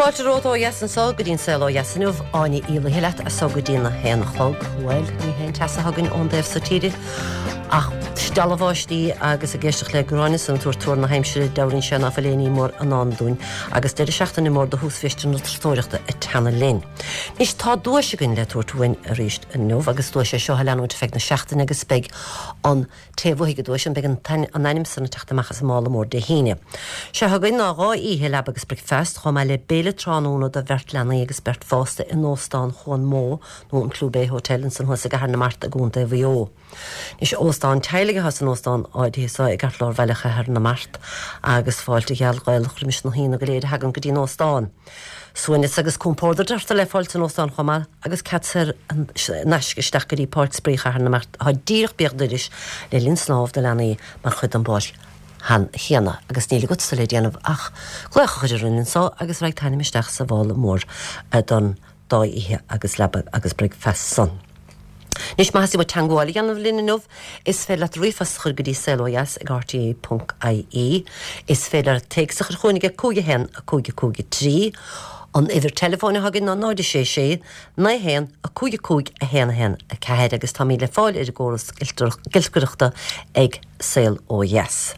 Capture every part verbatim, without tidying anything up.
Fáilte romhat ó dheas anseo go dtí an Saol Ó Dheas inniu Áine Ní Laoithe leat as seo go dtí a haon a chlog. Bhuel, ní haon teas a thagann ón dtaobh seo tíre ach stealladh báistí agus ag éisteacht le Gráinne san tuar tuar na haimsire dealraíonn sé nach bhfuil aon ní mór i ndán dúinn agus deireadh seachtaine mór do thús na turasóireachta ag teannadh linn. Anois tá duais againn le tabhairt uainn arís inniu agus duais é seo a leanúint feadh na seachtaine agus beidh an té bhuafaidh an duais an beidh an ainm san ag teacht amach as an mála mór Dé hAoine. Sé againn ná dhá oíche leaba agus bricfeasta chomh maith le béile tráthnóna do bheirt leanaí agus beirt fásta in óstán Chuan Mó nó an Clew Bay Hotel ansan thuas i gCathair na Mart i gContae Mhaigh Eo. Is óstán teaghlaigh atá san óstán áirithe seo i gceartlár bhaile Chathair na Mart agus fáilte gheal Ghaelach roimis na haíonna go léir a thagann go dtí an óstán. Suaimhneas agus compord deirtear le fáil san óstán chomh maith agus cead saor in aisce isteach go dtí Páirc Spraoi Chathair na Mart atá díreach béal dorais le linn snámh do leanaí mar chuid den bpáirc chéanna agus níl agatsa le déanamh ach glaoch a chur orainn anseo agus raghaidh t'ainm isteach sa mhála mór don dá oíche agus leaba agus bricfeasta san. Anois má theastaíonn uait teagmháil a dhéanamh linn inniu, is féidir leat ríomhphost a chur go dtí saolodheas ag rte.ie, is féidir téacs a chur chugainn ag cúig a haon a cúig a cúig a trí, an uimhir teileafóin atá againn ná náid a sé sé naoi haon a cúig a cúig a haon a haon a ceathair agus táimid le fáil ar an gcóras giolcaireachta ag Saol Ó Dheas.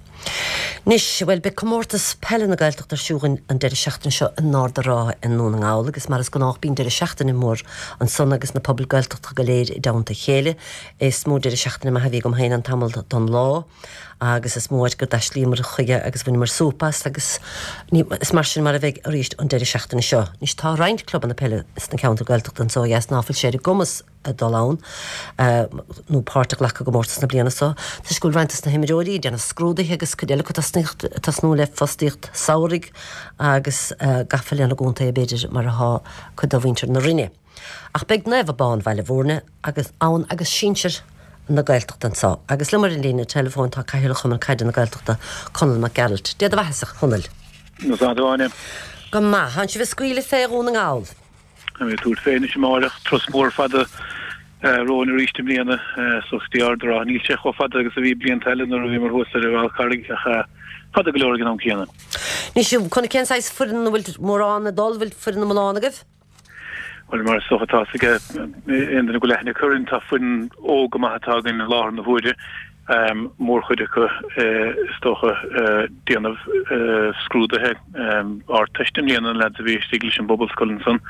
Anois, bhuel beidh comórtas peile na Gaeltachta ar siúl an deireadh seachtaine seo in Ard an Rátha i nDún na nGall agus mar is gnách bíonn deireadh seachtaine mór ansan agus na pobail Gaeltachta go léir i dteannta a chéile. Is mó deireadh seachtaine maith a bhí agam féin an tamall don lá agus is mó áit gur d'aislíomar chuige agus bhaineamar súp as agus is mar sin mar a bheidh arís an deireadh seachtaine seo. Anois tá roinnt clubanna peile sna ceantair Gaeltachta anseo ó dheas ná fuil sé ar a gcumas a dul ann nó páirt a ghlacadh i gcomórtas na bliana seo. Toisc go bhfuil roinnt dos na himreoirí ag déanamh scrúduithe agus cuid eile acu tosnú le fostaíocht samhraidh agus gafa lena gcontae b'fhéidir mar atá cuid de mhuintir na Rinne. Ach beidh Naomh Abán Bhaile Bhúirne agus ann agus sinsir na Gaeltachta anseo. Agus liom ar an líne teileafóin tá Cathaoirleach Chumann Caide na Gaeltachta Conall Mac Gearailt. Dia do bheatha-sa, a Chonaill. Nó Go maith, Tánn sibh ag scaoileadh fé Dhún na nGall. Tá mé ag tabhairt fé anois amárach turas mór fada romhainn arís i mbliana suas go dtí Ard an Rátha. Níl sé chomh fada agus a bhí blianta eile nuair a bhíomar thuas ar an Fhál Carraigh ach fada go leor ag an am céanna. Anois Conall cén saghas foireann an bhfuil mórán ag dul, bhfuil foireann iomlán agaibh? Bhuel mar is dócha atá a fhios ag aon duine go bhfuil aithne acu orainn tá foireann óg go maith atá againn i láthair na huaire. Mórchuid acu is dócha déanamh scrúduithe Ardteiste i mbliana, na leaids a bhí istigh leis an bPobalscoil ansan.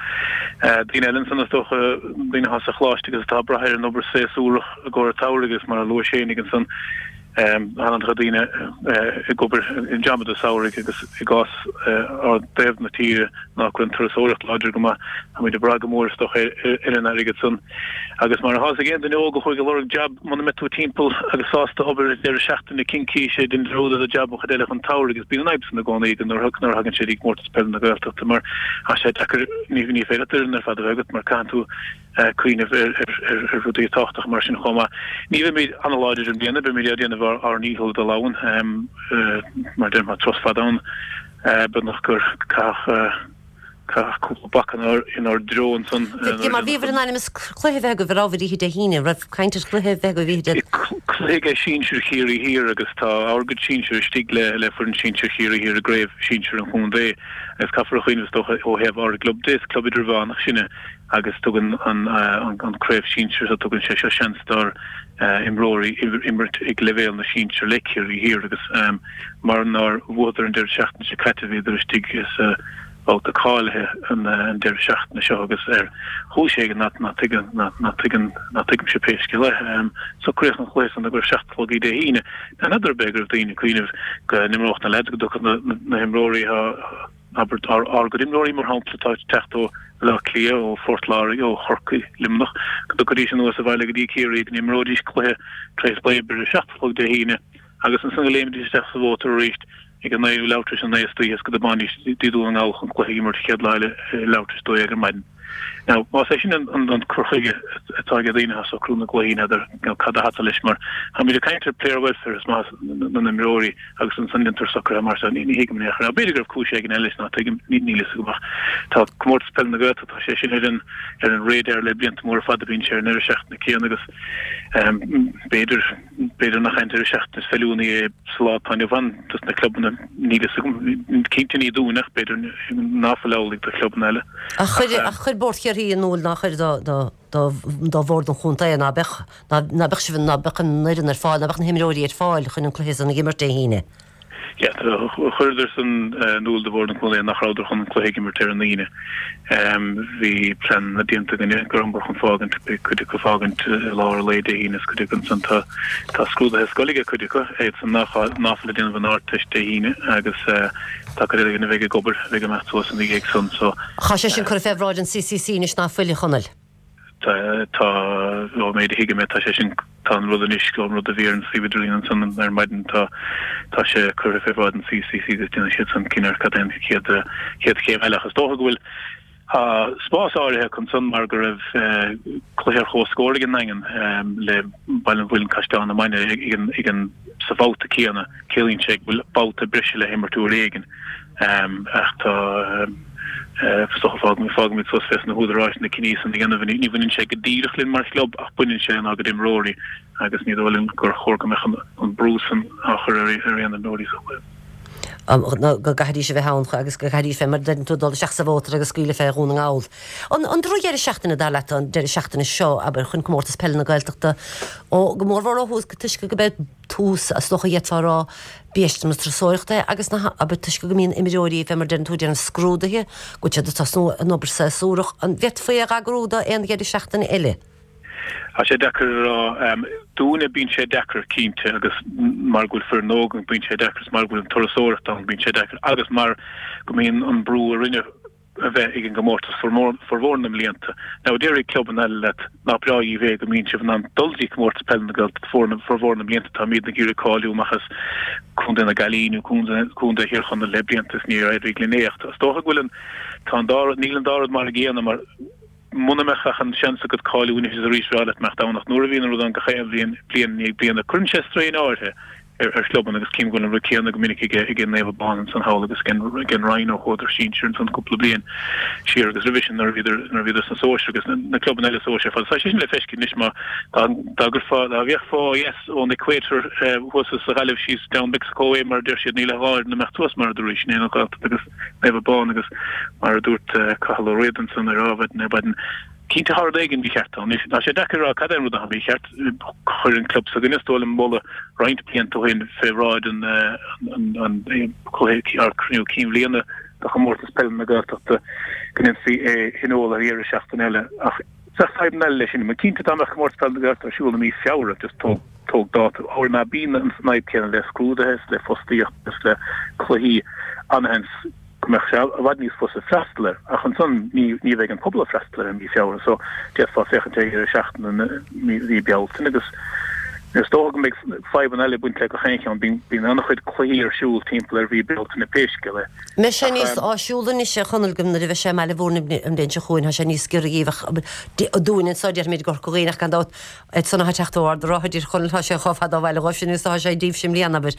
Daoine eile ansan is dócha, daoine atá sa choláiste agus atá ag brath ar an obair séasúrach i gcomhair an tsamhraidh agus mar a luais fhéinig ansan, Tá an-chuid daoine ag obair i jabanna samhraidh agus i gcás ár dtaobh na tíre ná go bhfuil an turasóireacht láidir go maith, táimid ag brath go mór is dócha ar an airgead san. Agus mar atá a fhios ag aon duine óg a chuaigh ag lorg jab, muna mbeidh tú timpeall agus sásta obair deireadh seachtaine cincíse, déan dearúd ar do jab an chuid eile den tsamhradh agus bíonn an fhadhb san i gcónaí nuair a thagann sé go dtí comórtas peile na Gaeltachta mar tá sé deacair, ní féidir leat d'fhoireann ar fad a bheith agat mar caitheann tú cuimhneamh ar rudaí tábhachtacha mar sin chomh maith. Ní bheimid an-láidir i mbliana, beimid ag déanamh ár ndícheall dul ann. Mar a deirim, tá turas fada ann, beagnach gur caitheadh caitheadh cúpla bac inár dtreo ansan. Mar bhíobhair in ainm is cluiche a bheith agaibh ar ábhar oíche Dé hAoine, raibh caint ar chluiche a bheith agaibh oíche Dé. Cluiche ag sinsir Chiarraí Thiar agus tá ár gcuid sinsir istigh le foireann sinsir Chiarraí Thiar i gcraobh sinsir an chontae agus caithfear a chuimhneamh is dócha ó thaobh ár gclub de, is club idirmheánach sinne agus tugann an craobh sinsir seo, tugann sé seo seans dár imreoirí imirt ag leibhéal na sinsear le Ciarraí Thiar agus mar nár bhuadar an deireadh seachtaine seo caite bhíodar istigh sa bhabhta cáilithe an deireadh seachtaine seo agus ar chúis éigin ná tuigeann ná tuigeann ná tuigimse pé scéal é socraíodh an cluiche san i gcomhair seacht a chlog Dé hAoine. N'fheadar ab é go raibh daoine ag cuimhneamh go n-imreodh na leaids go dtiocfadh na himreoirí Abair, ár gcuid imreoirí, mar shampla, atá ag teacht ó Bhaile Átha Cliath, ó Phort Láirge, ó Chorcaigh, Luimneach, go dtiocfaidís anuas abhaile go dtí Ciarraí, go n-imreoidís cluiche tar éis lae oibre ar a seacht a chlog Dé hAoine agus ansan go léimfidís isteach sa mhótar arís ag a naoi nó leathuair tar éis a naoi istoíche is go dtiomáinfidís go dtí Dún na nGall chun cluiche a imirt an chéad lá eile leathuair tar éis a dó dhéag ar maidin. Now, más é sin an cur chuige atá ag daoine atá ag socrú na gcluichí, n'fheadar cad atá leis, mar táimid ag caint ar player welfare is maitheas na n-imreoirí agus ansan déantar socruithe mar seo, ní thuigim in aon chor. Now, b'fhéidir go raibh cúis éigin eile leis ná tuigim, níl fhios agam ach tá Comórtas Peile na Gaeltachta, tá sé sin ar an ar an radar le blianta móra fada, bíonn sé ar an ndeireadh seachtaine céanna agus b'fhéidir, B'fhéidir nach an deireadh seachtaine is feiliúnaí é sa lá atá inniu ann dos na clubanna, níl fhios agam, cinnte ní dúinn ach b'fhéidir ná fuil amhlaidh do chlubanna eile. Ach chuir, ach chuir Bord Chiarraí in iúl nár chuir do, do, do, do Bhord an Chontae ná beadh, ná, ná beadh sibh, ná beadh an fhoireann ar fáil, ná beadh na himreoirí ar fáil chun an cluiche san a dh'imirt Dé hAoine. Yeah, chuireadar san in iúl do Bhord an Chontae nach rabhadar chun an cluiche a imirt ar an Aoine. Bhí pleananna déanta againne go rabhamar chun fágaint, beidh cuid acu fágaint i lár an lae Dé hAoine is cuid acu ansan tá tá scrúduithe scoile ag cuid acu, iad san nach ná fuil ag déanamh an Ardteist Dé hAoine agus tá cuid eile againn a bheidh ag obair, a bheidh ag imeacht suas ina dhiaidh san so. Tá sé sin curtha fé bhráid an CCC anois ná fuil, a Chonaill? Tá, tá, ón méid a thuigim é, tá sé sin, tá an rud anois, an rud a bhí ar an suíomh idirlín ansan ar maidin, tá, tá sé curtha fé bhráid an CCC agus déanfaidh siad san cinneadh ar cad é an chéad, chéad chéim eile. Ach is dócha go bhfuil, tá spás áirithe acu ansan mar go raibh cluiche ar comhscór ag an nDaingean le Baile an Mhuilinn Caisleán na Mainge ag an, ag an, sa bhabhta céanna. Ciallaíonn sé go bhfuil babhta breise le himirt uair éigin. Ach tá, is dócha, fágfaimid suas fés na húdaráis na cinní san a dhéanamh. Ní bhaineann sé go díreach linn mar chlub ach baineann sé lenár gcuid imreoirí agus ní dóigh liom gur chóir go mbeadh an brú san á chur ar aon imreoirí sa chluiche. Go gcaithfidís a bheith ann agus go gcaithfidís fé mar a deireann tú dul isteach sa mhótar agus scaoileadh fé Dhún na nGall. An drochdheireadh seachtaine dar leat an deireadh seachtaine seo, abair, chun Comórtas Peile na Gaeltachta, ó go mórmhór ó thús toisc go mbeidh tús, is dócha d'fhéadfá a rá, biaiste na turasóireachta é agus na, abair, toisc go mbíonn imreoirí, fé mar a deireann tú, ag déanamh scrúduithe, go bhfuil siad ag tosnú an obair séasúrach, an bhféadfaí é a eagrú do aon dheireadh seachtaine eile? Tá sé deacair a rá. Dúinne bíonn sé deacair, cinnte, agus mar go bhfuil foireann óg againn bíonn sé deacair, is mar go bhfuil an turasóireacht ann bíonn sé deacair agus mar go mbíonn an brú orainne a bheith ag an gcomórtas formhór na mblianta. Now déarfaidh clubanna eile leat nach breá dhíbh é go mbíonn sibh in ann dul dtí comórtas peile na Gaeltachta formhór na mblianta táimidne ag iarraidh cáiliú amach as Contae na Gaillimhe nó Contae Thír Chonaill le blianta is níor éirigh linn é ach is dócha go bhfuil an tá an dá rud níl an dá rud mar a gcéanna mar muna mbeadh ach an seans agat cáiliú anois is arís bhreá leat imeacht ann ach nuair a bhíonn an rud ann gach aon bhliain bliain i ndiaidh bliana cuireann sé strain áirithe ar ar chlubanna agus cím go bhfuil an rud céanna go minic ag ag Naomh Abán ansan thall agus ag an Rinn ó chuadar sinsir ansan cúpla bliain siar agus roimhe sin nuair a bhíodar nuair a bhíodar sna sóisir agus na na clubanna eile sóisir ar fad. Tá sé sin le feiscint anois má dá dá gcuirfeá dá bhféachfá ó dheas ón equator thuas as Gaillimh síos down Mexico way mar a deir siad níl ach dhá fhoireann ag imeacht suas mar a dúradh sin é an Ghaeltacht agus Naomh Abán agus mar a dúirt Cathal Ó Riada ansan ar Adhmhaidin ar maidin Cinnte tá rud éigin mícheart ann. Tá sé deacair a rá cad é an rud atá mícheart. Chuir an club s'againne, is dóigh liom, moladh roinnt blianta ó shin fé bhráid an cluiche ár cruinniú cinn bhliana do chomórtas peile na Gaeltachta go ndéanfaí é a thionól ar dheireadh seachtaine eile. Ach bheadh fadhbanna eile leis sin. Mar cinnte dá mbeadh comórtas peile na Gaeltachta ar siúl i mí Feabhra, just tóg tóg dáta, óir ná bíonn an fhadhb céanna le scrúduithe is le fostaíocht is le cluichí, an-sheans go mbeadh sé i bhfad níos fusa freastal air, ach ansan ní ní bheidh an pobal ag freastal air i mí Feabhra so d'fhéadfá féachaint ar dheireadh seachtaine i mí Bealtaine agus is dócha go mbeidh fadhbanna eile ag baint le gach aon cheann, bíonn bíonn an-chuid cluichí ar siúl timpeall ar mhí Bealtaine pé scéal é. Mbeidh sé níos áisiúla anois a Chonaill go nuair a bheidh sé i mBaile Mhúirne an bhliain seo chugainn, tá sé níos giorra dhíbh ach dúinn anseo déarfaimid i gCorca Dhuibhne ach gan dabht iad san atá ag teacht ó Ard an Rátha a deir Chonaill tá sé chomh fada ó bhaile dhóibh sin is atá sé díbhse i mbliana abair.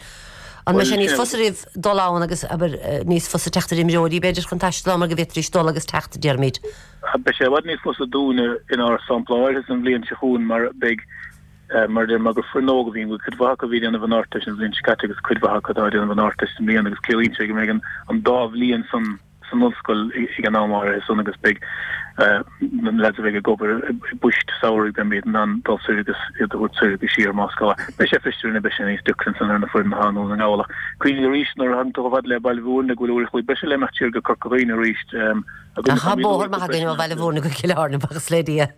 An mbeidh sé níos fusa oraibh dul ann agus, abair, níos fusa teacht ar imreoirí, b'fhéidir, chun taisteal ann mar go bhféadfaidís dul agus teacht, déarfaimid? Beidh sé i bhfad níos fusa dúinne inár sampla áirithe san bhliain seo chugainn mar beidh, mar a deir, mar gur foireann óg a bhíonn, bhfuil cuid mhaith acu a bhí ag déanamh an Ardteist an bhliain seo caite agus cuid mhaith acu atá ag déanamh an Ardteist i mbliana agus ciallaíonn sé go mbeidh an dá bhliain san san ollscoil ag an am áirithe san agus beidh na leaids a bheidh ag obair i bpoist samhraidh beimid in ann dul soir agus iad a thabhairt soir agus siar más gá. Beidh sé fusa orainne, beidh sé níos deacra ansan ar na foireann atá i nDún na nGall ach cuimhnigh arís nuair a thagann tú chomh fada le Baile Mhúirne go bhfuil uair a chloig breise le imeacht siar go Corca Dhuibhne arís agus tá bóthar maith againn ó Bhaile Mhúirne go Cill Airne buíochas le Dia.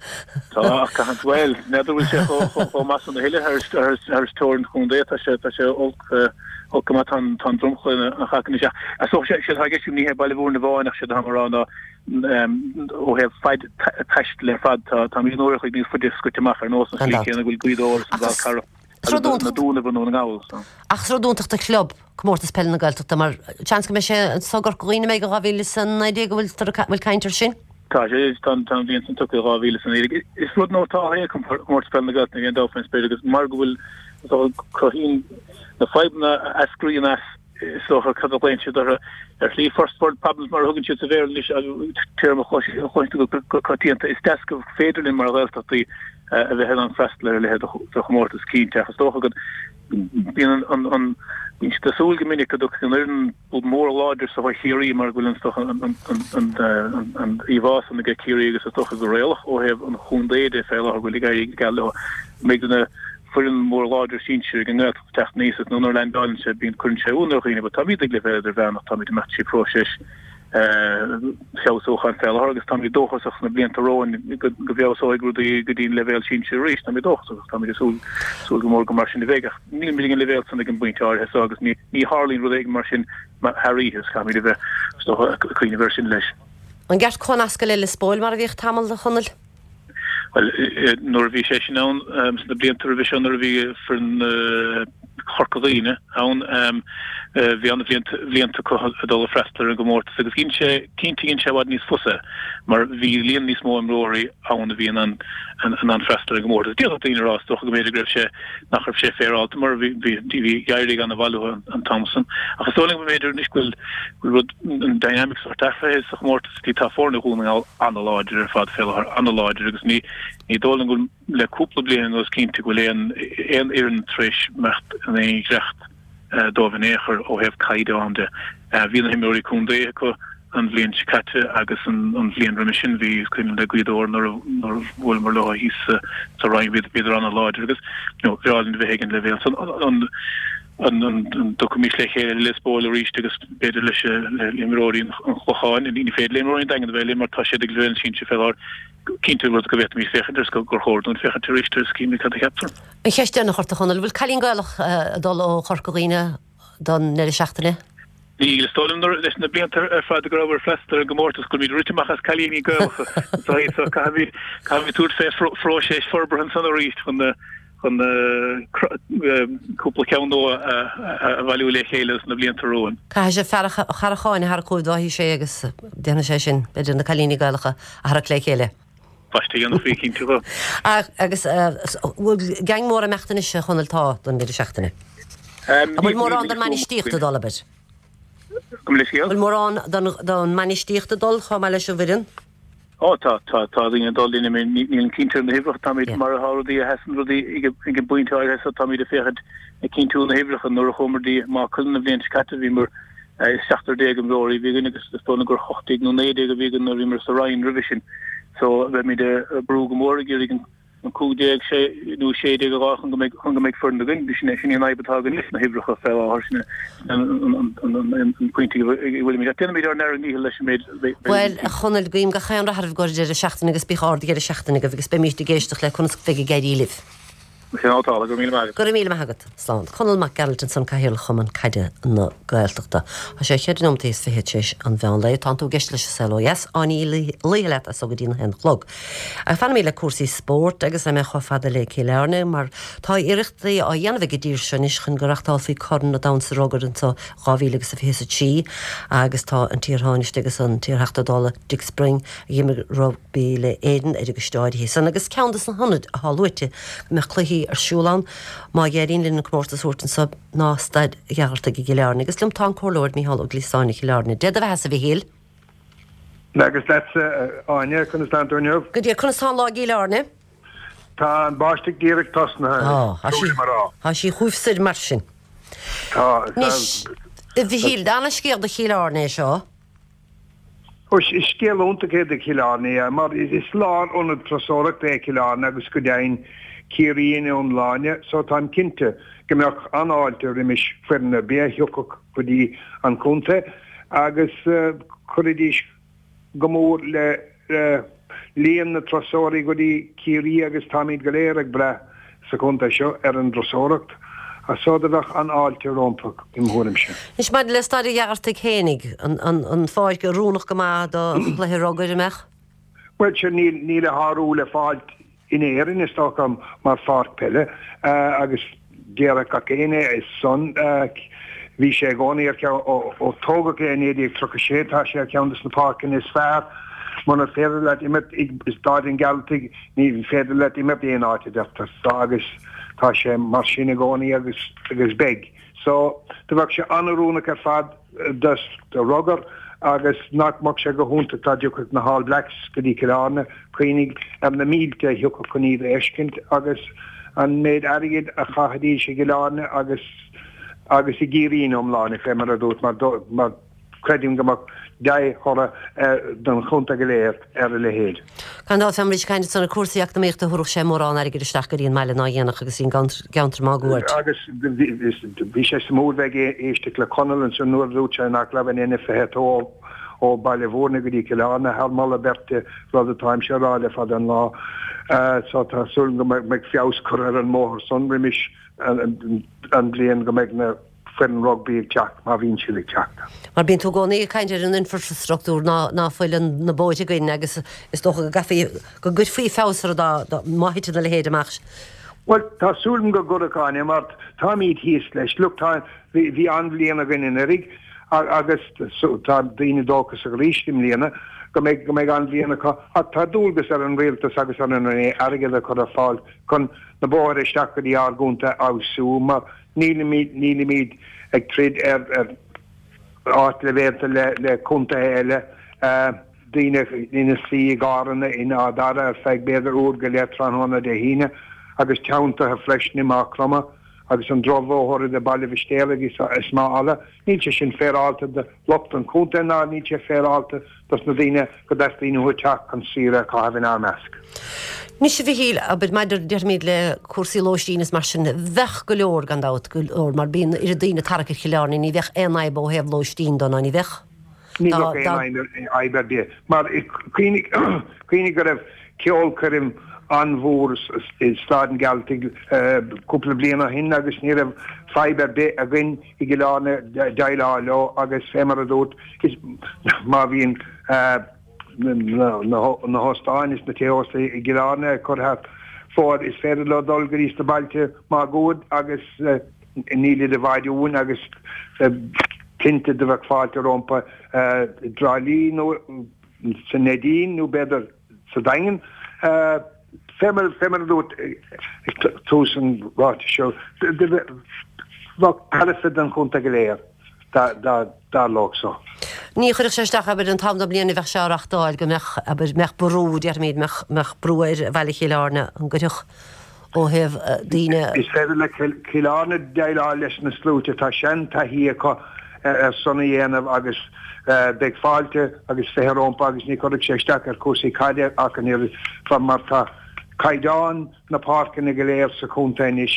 Tá ach caithfidh bhuel n'fheadar bhfuil sé chomh maith san a thuilleadh thar teorainn an chontae tá sé tá sé olc Olc go maith tá an dromchla ina chac anois ach is dócha séard atá i gceist agam ní hé Baile Mhúirne amháin ach séard atá mé a rá ná ó thaobh faid taistil ar fad tá táimid uair a chloig níos faide scoite amach ar nós an Gan tslí dabht. chéanna go bhfuil Gaoth Dobhair is an Ach Fhál is Carrach is rud agus na iontach Dúnaibh i nDún na nGall so. Ach is rud iontach do chlub Comórtas Peile na Gaeltachta mar seans go mbeidh sé anseo i gCorca Dhuibhne a mbeidh i dhá mhíle is a naoi déag an bhfuil bhfuil caint air sin? Tá sé, tá an bhliain san tugtha dhá mhíle is a naoi déag. Is rud nótáltha é Comórtas Peile na Gaeltachta ní haon dabht faoin spéir agus mar go bhfuil is dócha cruthaíonn na fadhbanna a eascraíonn as is dócha cad a ghlaonn siad orthu ar shlí first world problems mar a thugann siad sa Bhéarla anois téarma a chloiseann tú go coitianta. Is deas go féidir linn mar Ghaeltachtaí a bheith in ann freastal ar a leithéid de chomórtas cinnte ach is dócha go bíonn an an bíonn siad ag súil go minic go dtiocfaidh an fhoireann mór láidir seo ó Chiarraí mar go bhfuil an stoc an an an an an íomhá san aige Ciarraí agus is dócha go réalach ó thaobh an chontae de fé láthair go bhfuil ag éirí geal leo go mbeidh na foireann mór láidir sinsir ag an nGaeltacht ag teacht aníos is nuair a landálann sé bíonn cuireann sé ionadh ar dhaoine but táimid ag leibhéal idirmheánach táimid ag imeacht trí phróiseas feabhsúcháin fé láthair agus táimid dóchasach sna blianta romhainn go bhfeabhsóidh rudaí go dtí an leibhéal sinsir arís. Táimid dóchasach agus táimid ag súil súil go mór go mar sin a bheidh ach nílimid ag an leibhéal san ag an bpointe áirithe seo agus ní ní tharlaíonn rud éigin mar sin thar oíche is caithfimid a bheith is dócha ag cuimhneamh air sin leis. An gceart comhnascadh le Lios Póil mar a bhíodh tamall, a Chonaill? Bhuel, nuair a bhí sé sin ann sna blianta roimhe seo, nuair a bhí foireann Chorca Dhuibhne ann, bhí an-bhlianta acu ag dul ag freastal ar an gcomórtas agus dhein sé, cinnte dhein sé i bhfad níos fusa mar bhí líon níos mó imreoirí ann a bhí in ann in ann freastal ar an gcomórtas. D'fhéadfadh daoine a rá is dócha go mb'fhéidir go raibh sé, nach raibh sé féaráilte mar bhí, bhí, bhí éirí an-mhaith leo an t-am san. Ach is dóigh liom go mb'fhéidir anois go bhfuil, go bhfuil rud, an dynamic sórt athraithe sa chomórtas, tá foirne Dhún na nGall an-láidir ar fad fé láthair, an-láidir agus ní ní dóigh liom go bhfuil le cúpla bliain anuas cinnte go bhfuil aon aon fhoireann tar éis imeacht in aon ghreacht dóibh in aon chor ó thaobh caighdeán de. Bhí na himreoirí contae acu an bhliain seo caite agus an an bhliain roimhe sin bhí is cuimhin le Gaoth Dobhair nuair a nuair a bhuaileamar leo thíos sa sa Rinn bhíodar bhíodar an-láidir agus you know bhreá linn a bheith ag an leibhéal san an an dtiocfaimis le chéile le Lios Póil arís agus b'fhéidir leis le himreoirí an Chlocháin, ní féidir le imreoirí an Daingin a bheith linn mar tá siad ag leibhéal an sinsir fé láthair. Cinnte rud go bhféadfaimis féachaint air is gur chóir dúinn féachaint arís air is cífimid cad a cheaptar. An cheist deireanach ort, a Chonaill, bhfuil cailín Gaelach ag dul ó Chorca Dhuibhne don ndeireadh seachtaine? Níl, is dóigh liom nuair leis na blianta ar fad go rabhamar ag freastal ar an gcomórtas go bhfuilimid rite amach as cailíní Gaelacha so caithfimid caithfimid tabhairt fé phróiseas forbartha ansan arís chun na chun cúpla ceann nua a bhailiú le chéile sna blianta romhainn. Caithfidh sé fear an Charracháin a tharrac chugaibh dá sé agus déanfaidh sé sin, b'fhéidir, na cailíní Gaelacha a tharrac le chéile. Baisteadh a dhéanfaí, cinnte dhó. Agus bhfuil gang mór ag imeacht anois, a Chonaill, tá, don deireadh seachtaine? An bhfuil mórán den mbainistíocht ag dul, abair? Gabh mo leithscéal? Bhfuil mórán den mbainistíocht ag dul chomh maith leis an bhfoireann? Ó tá, tá, tá daoine ag dul linn, nílim cinnte ar na huimhreacha, táimid mar atá rudaí, a sheasann rudaí ag an bpointe áirithe so táimid ag féachaint ag cinntiú na huimhreacha. Nuair a chuamar dtí Maigh Cuilinn an bhliain seo caite bhíomar seachtar déag imreoirí a bhí againn agus is dóigh liom gur hocht déag nó naoi déag a bhí againn nuair a bhíomar sa Rinn roimhe sin. So beimid ag brú go mór ag iarraidh an an cúig déag, sé nó sé déag a dhá chun go mbeidh chun go mbeidh foireann againn. Sin é sin í an fhadhb atá againn leis na huimhreacha fé láthair, sin an an pointe a bhfuilimid. Ach déanfaimid ár ndara ndícheall leis an méid a bheidh Bhuel, a Chonaill, guím gach aon rath oraibh i gcomhair an deireadh seachtaine agus bíodh ard-dheireadh seachtaine agaibh agus beimíd ag éisteacht le conas bheidh ag éirí libh. Sin é atá, go raibh míle maith agat. Go raibh míle maith agat. Slán. Conall Mac Gearailt ansan, Cathaoirleach Chumann Caide na Gaeltachta. Tá sé cheithre nóiméad is fiche tar éis an mheán lae. Tánn tú ag éisteacht leis an Saol Ó Dheas. Áine Ní Laoithe leat as so go dtí a haon a chlog. Ach fanfaimid le cúrsaí spóirt agus beidh mé chomh fada le Cill Airne mar tá iarrachtaí á dhéanamh ag an dtír seo anois chun go reachtálfaí Corn an Domhain sa Rugar anso dhá mhíle agus a fiche is a trí agus tá an t-iarThánaiste agus an t-iarTheachta Dála Dick Spring a d'imir rugbaí le Éirinn ar an gcoiste áirithe san agus ceann de na hionaid atá luaite go mbeadh cluichí ar siúl ann má éiríonn linn an comórtas a thabhairt anso ná Staid Ghearaltaigh i gCill Airne. Agus liom tá an Comhairleoir Micheál Ó Gliasáin Chill Airne. Dé do bheatha-sa, a Mhichíl. Agus leatsa, a Áine, conas tánn tú inniu? Go deimhin, conas tá an lá i gCill Airne? Tá an bháisteach díreach tosnaithe, is trua liom a rá. Tá sí chugaibh soir mar sin. Tá. Anois, a Mhichíl, ana-scéal do Chill Airne é seo. Ó, is scéal iontach é do Chill Airne, é, mar is lárionad turasóireachta é Cill Airne agus go deimhin Ciarraí ina iomláine, so táim cinnte go mbeadh an-fháilte roimis foireann ar bith a thiocfadh go dtí an contae agus chuirfidís go mór le líon na dturasóirí go dtí Ciarraí agus táimid go léir ag brath sa chontae seo ar an dturasóireacht so do bheadh an-fháilte rompu im thuairimse. Anois maidir le Staid an Ghearaltaigh fhéinig, an pháirc oiriúnach go maith do chluiche rugair, an mbeadh? Bhuel, sea, níl a shárú le fáilt in Éirinn, is dócha, mar pháirc peile agus déarfadh gach éinne é san. Bhí sé i gcónaí ar cheann, ó tógadh é i naoi déag tríocha sé, tá sé ar cheann de na páirceanna is fearr. Muna féidir leat imirt i Staid an Ghearaltaigh, ní féidir leat imirt aon áit, a deirtear. Agus tá sé mar sin i gcónaí agus agus beidh. So, do bheadh sé an-oiriúnach ar fad do rugar Agus nach mbeadh sé go hiontach dá dtiocfadh na hAll Blacks go dtí Cill Airne, cuimhnigh ar na mílte a thiocfadh chun iad a fheiscint agus an méid airgid a chaithfidís i gCill Airne agus agus i gCiarraí ina iomláine, fé mar a dúirt, mar mar creidim go mbeadh dea-thoradh don chontae go léir ar a leithéid. Gan dabht, bheimid ag caint ansan ar cúrsaí eacnamaíochta, thabharfadh sé mórán airgid isteach go dtí an mbaile ná dhéanfadh agus an gceantar máguaird. Agus bhí sé suimiúil bheith ag éisteacht le Conall ansan nuair a dúirt sé nach raibh an N fiche a dó ó Baile Bhúirne go dtí Cill Airne thar moladh beirte, rud atáimse a rá le fada an lá. So tá súil go mbeidh feabhas curtha ar an mbóthar san roimis an bliain go mbeidh na foireann rugbaí ag teacht, má bhíonn siad ag teacht. Mar bíonn tú i gcónaí ag caint ar an infrastruchtúr ná ná fuil na bóithre againn agus is dócha go gcaithfí, go gcuirfí feabhas orthu dá, dá, má thiteann a leithéid amach. Bhuel, tá súil agam go gcuirfeadh, Áine, mar táimid thíos leis. Look, tá, bhí, bhí an-bhliain againn anuraidh agus tá daoine dóchasach arís i mbliana go mbeidh, go mbeidh an-bhliain acu ach tá dualgas ar an rialtas agus ar an Roinn airgead a chur ar fáil chun na bóithre isteach go dtí ár gcontae a fheabhsú mar Nílimid, nílimid ag troid ar, ar ardleibhéalta le, le contaetha eile, daoine ina suí i gcarranna in Áth Dara ar feadh b'fhéidir uair go leith tráthnóna Dé hAoine agus teanntaithe freisin i Maigh Chromtha agus an drochbhóthar idir Baile Mhistéala agus is Maigh Fhala. Níl sé sin féaráilte do lucht an chontae ná níl sé féaráilte dos na daoine go dteastaíonn uathu teacht chun saoire a chaitheamh inár measc. Anois a Mhichíl, abair, maidir, déarfaimid, le cúrsaí lóistín is mar sin, bheadh go leor, gan dabht, go leor, mar bíonn oiread daoine ag tarrac ar Chill Airne, ní bheadh aon fhadhb ó thaobh lóistín dó, ná ní bheadh? Ní bheadh aon fhadhb ar bith, mar cuimhnigh, cuimhnigh go raibh ceolchoirm an-mhór i Staid an Ghearaltaigh cúpla bliain ó shin agus ní raibh fadhb ar bith againn i gCill Airne déileáil leo agus fé mar a dúirt, má bhíonn na hóstáin is na tithe ósta i gCill Airne ag cur thar fóir, is féidir leo dul go dtí sna bailte máguaird agus nílid i bhfad uainn agus cinnte do bheadh fáilte rompu i dTrá Lí nó sa Neidín nó b'fhéidir sa Daingean. Fé mar a dúirt ag tús an ráitis seo, bheadh tairbhe don chontae go léir dá dtarlódh so. Ní chuirfeadh sé isteach, abair, an t-am den bhliain a bheadh sé á reachtáil, go mbeadh, abair, mbeadh brú, déarfaimid, mbeadh, mbeadh brú ar bhaile Chill Airne, an gcuirfeadh ó thaobh daoine. Is féidir le Cill Airne déileáil leis na sluaite, tá seantaithí acu ar san a dhéanamh agus beidh fáilte agus fiche rompu agus ní chuirfeadh sé isteach ar chúrsaí caide ach an oiread mar tá caighdeán na páirceanna go léir sa chontae anois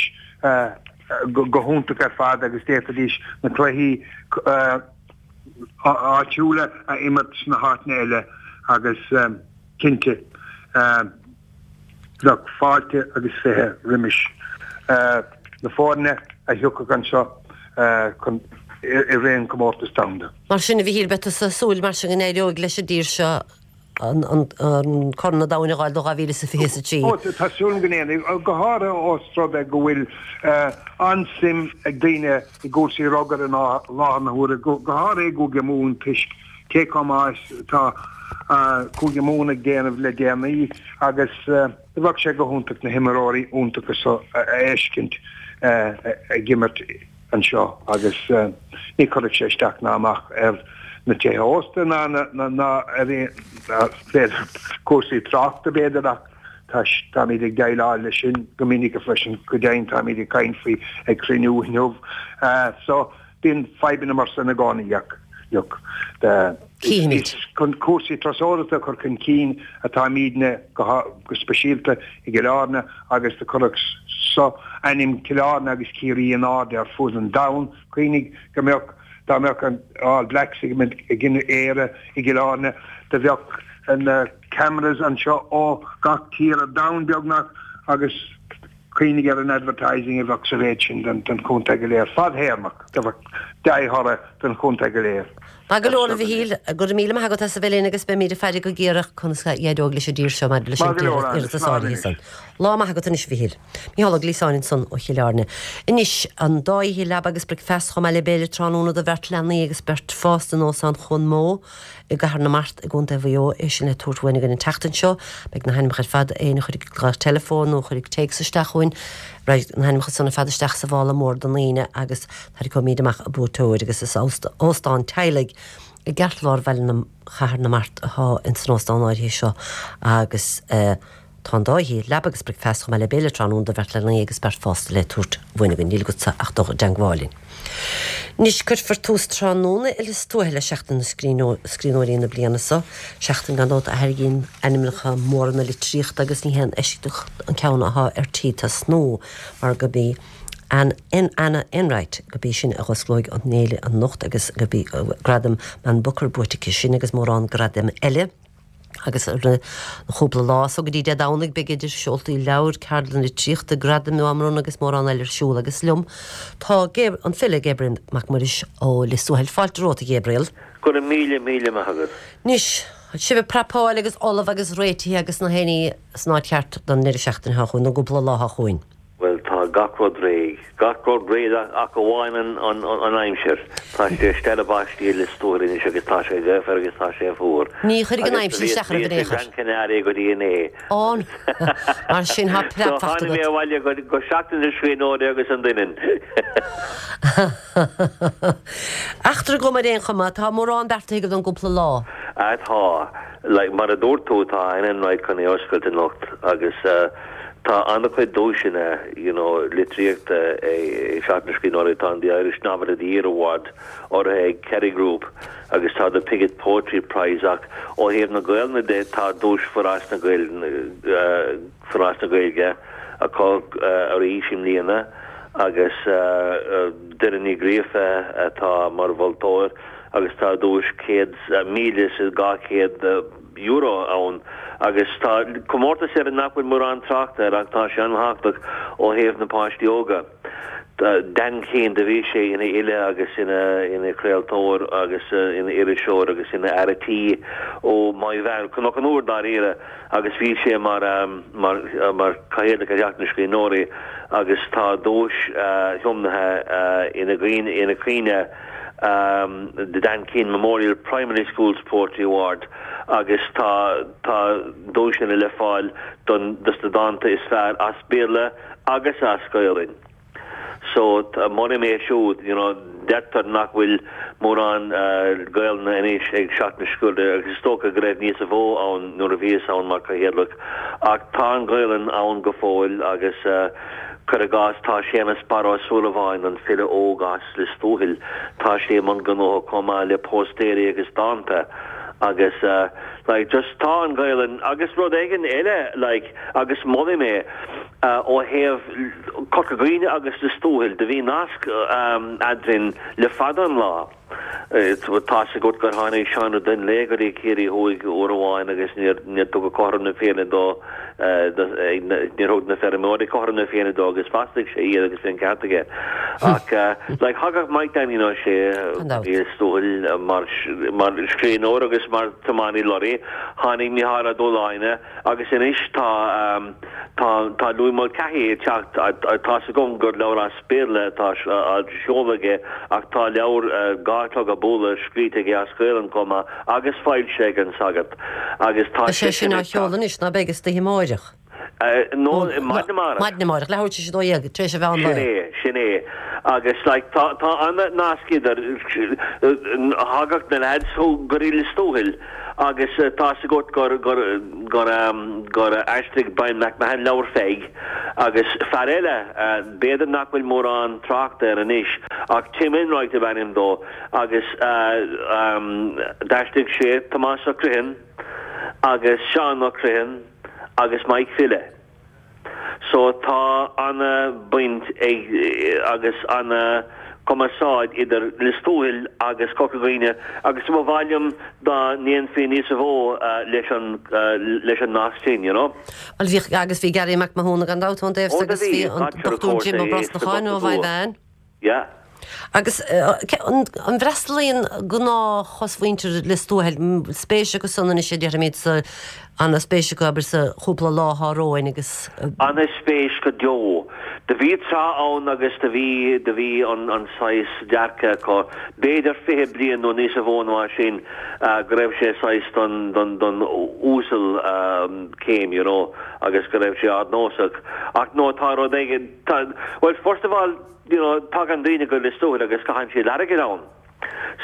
go hiontach ar fad agus d'fhéadfaidís na cluichí áitiúla a imirt sna háiteanna eile agus cinnte bheadh fáilte agus fiche roimis na foirne a thiocfadh anseo chun i rith an Comórtas Domhanda. Mar sin, a Mhichíl, beidh tusa ag súil mar sin go n-éireoidh leis an dtír seo an Corn an Domhain a fháil do dhá mhíle is a fiche is a trí. Ó, tá súil agam go ndéanfaidh, go háirithe ós rud é go bhfuil an-suim ag daoine i gcúrsaí rugair i láthair na huaire, go háirithe i gCúige Mumhan toisc cé chomh maith is atá Cúige Mumhan ag déanamh le déanaí agus bheadh sé go hiontach na himreoirí iontacha so a fheiscint ag imirt anseo agus ní chuirfeadh sé isteach ná amach ar na tithe ósta ná ná ar b'fhéidir cúrsaí tráchta b'fhéidir ach táimid ag déileáil leis sin go minic freisin, go deimhin táimid ag caint faoi ag cruinniú inniu so bíonn fadhbanna mar san i gcónaí ach look Cífimid. Is chun cúrsaí turasóireachta a chur chun cinn atáimidne go speisialta i gCill Airne agus do chuirfeadh so ainm Chill Airne agus Ciarraí in airde ar fud an domhain. Cuimhnigh go mbeadh, dá mbeadh an All Blacks ag imirt i gcoinne Éire i gCill Airne, do bheadh na cameras anseo ó gach tír ar domhan beagnach agus cuimhnigh ar an advertising a bheadh sa mhéid sin don chontae go léir fadthéarmach, do bheadh dea-thoradh don chontae go léir. Maith go leor, a Mhichíl, go raibh míle maith agat as a bheith linn agus beimid ag faire go géar conas a éireoidh leis an dtír seo maidir leis an iarratas áirithe san. Lá maith agat anois, a Mhichíl. Micheál Ó Gliasáin ansan ó Chill Airne. Anois, an dá oíche leaba agus bricfeasta chomh maith le béile tráthnóna do bheirt leanaí agus beirt fásta in Óstán Chuan Mó i gCathair na Mart i gContae Mhaigh Eo, é sin le tabhairt uainn againn an tseachtain seo. Beidh na hainmneacha ar fad, éinne a chuirfidh glaoch teileafóin nó a chuirfidh téacs isteach chugainn, Raghaidh na hainmneacha san ar fad isteach sa mhála mór don Aoine agus tarraiceoimid amach an buaiteoir agus is óstán teaghlaigh I gceartlár bhaile na Chathair na Mart atá ins an óstán áirithe seo agus tá an dá thí, leaba agus bricfeasta chomh maith le béile tráthnóna do bheirt leanaí agus beirt fásta le tabhairt uainn againn. Níl agatsa ach dul i dteangmháil linn. Anois cuirfear tús tráthnóna i Lios Tuathail le Seachtain na Scríbhneoirí na bliana seo, seachtain gan dabht a tharraingíonn ainmneacha móra na litríochta agus ní haon eisceacht an ceann atá ar tí tosnú mar gurb í Anne Anna Enright gurb í sin a dh'osclóidh an fhéile anocht agus gurb í gradam Man Booker buaite aici sin agus mórán gradaim eile. Agus ar na chúpla lá so go dtí Dé Domhnaigh beidh idir seoltaí leabhar, ceardlanna litríochta, gradaim á mbronnadh agus mórán eile ar siúl agus liom tá an file Gabriel Mac Muiris ó Lios Tuathail. Fáilte romhat a Ghabriel. Go raibh míle míle maith agat. Anois, sibh ag prapáil agus ullamh agus réitithe agus na héinní san áit cheart don ndeireadh seachtaine seo chugainn, don gcúpla lá seo chugainn. Bhuel, tá gach rud réidh. Gach rud réidh ach amháin an aimsir. Tá sé ag stealladh báistí i Lios Tuathail anois agus tá sé gaofar agus tá sé fuar. Ní chuirfidh an aimsir isteach oraibh in aon chor. Bhíos i Gran Canaria go dtí inné. Ó, mar sin tá preab fachta agat. So tháinig mé abhaile go Seachtain na Scríbhneoirí agus an Doineann. Eachtra go maith ar aon chuma, tá mórán beartaithe agaibh don gcúpla lá. Ah tá. Like, mar a dúirt tú, tá Anne Enright chun é a oscailt anocht agus tá an-chuid duaiseanna, you know, litríochta ag Seachtain na Scríbhneoirí, tá an The Irish Novel of the Year Award urraithe ag Kerry Group agus tá The Piggott Poetry Prize ach ó thaobh na Gaelainne de tá duais Foras na Foras na Gaeilge acu arís i mbliana agus Doireann Ní Ghríofa atá mar mholtóir agus tá duais céad míle is dhá chéad euro ann agus tá comórtas eile nach bhfuil mórán tráchta air ach tá sé an-thábhachtach ó thaobh na páistí óga. Dan Keane, do bhí sé ina fhile agus ina ina chraoltóir agus ina iriseoir agus ina fhear tí ó Maigh Mheáin, Cnoc an Iúir dáiríre agus bhí sé mar mar mar Chathaoirleach ar Sheachtain na Scríbhneoirí agus tá duais thiomnaithe ina ina chuimhne The Dan Keane Memorial Primary Schools Poetry Award agus tá tá duaiseanna le fáil don dos na dánta is fearr as Béarla agus as Gaelainn. So molaim é siúd, you know, deirtear nach bhfuil mórán Gaelainne anois ag Seachtain na Scríbhneoirí agus is dócha go raibh níos mó ann nuair a bhíos ann mar Chathaoirleach ach tá an Ghaelainn ann go fóill agus Cuir i gcás, tá Séamus Barra Ó Súilleabháin, an file óg as Lios Tuathail, tá sé i mbun gnótha chomh maith le póstaeirí agus dánta agus like just tá an Ghaelainn agus rud éigin eile like agus molaim é ó thaobh Corca Dhuibhne agus Lios Tuathail, do bhí nasc eadrainn le fada an lá. Tá's agat gur tháinig Seán Ó Donnghaile go dtí Ciarraí Thuaidh uair amháin agus níor níor tugadh cothrom na Féinne dó, níor thug na feirmeoirí cothrom na Féinne dó agus mhaslaigh sé iad agus bhí an ceart aige. Ach like thagadh Mike Danny Ó Sé Gan dabht. Lios Tuathail mar mar scríbhneoir agus mar tiománaí lorraí, tháinig Mícheál Ó Dúshláine agus anois tá tá tá Louis Mulcahy ag teacht, tá's agam gur leabhar as Béarla atá á sheoladh aige ach tá leabhar Dhá Chlog ag Bualadh scríte aige as Gaelainn chomh maith agus foilsithe ag An Sagart agus tá Tá sé sin seisean á ag sheoladh teacht. anois, ná beidh istoíche amáireach? No, maidin amárach. Maidin amárach, leathuair tar éis a dó dhéag, tar éis an mheán Sin lae. é, sin é. Agus like tá tá an-nasc idir, thagadh na leaids go dtí Lios Tuathail agus tá's agat gur gur gur gur aistrigh Brian McMahon leabhar Pheig agus fear eile, b'fhéidir nach bhfuil mórán tráchta air anois ach Tim Enright ab ainm dó agus d'aistrigh sé Tomás Ó Criomhthain agus Seán Ó Criomhthain agus Mike File. So tá ana baint ag agus ana cumarsáid idir Lios Tuathail agus Corca Dhuibhne agus ba mhaith liom dá ndéanfaí níos mó leis an leis an nasc sin, you know. Bhuel bhíodh agus bhí Gary Mac Mathúna gan dabht ón dtaobh Ó so do agus bhí, bhí an Roger of Dochtúir course Jim Ó é sa Brosnacháin ó Dochtúir. Mhaigh Mheáin. Yeah. Agus an bhfreastalaíonn gnáth-chosmhuintir Lios Tuathail, spéis acu san anois a déarfaimid sa, ana-spéis acu abair sa chúpla lá atá romhainn agus. Ana-spéis go deo. Do bhí tráth ann agus do bhí, do bhí an, an saghas dearcadh acu, b'fhéidir fiche bliain nó níosa mhó ná sin, go raibh sé saghas don, don, don uasal céim, you know, agus go raibh sé ardnósach. Ach no, tá rud éigin, tá, well, first of all, you know, tagann daoine go Lios Tuathail agus caitheann siad airgead ann.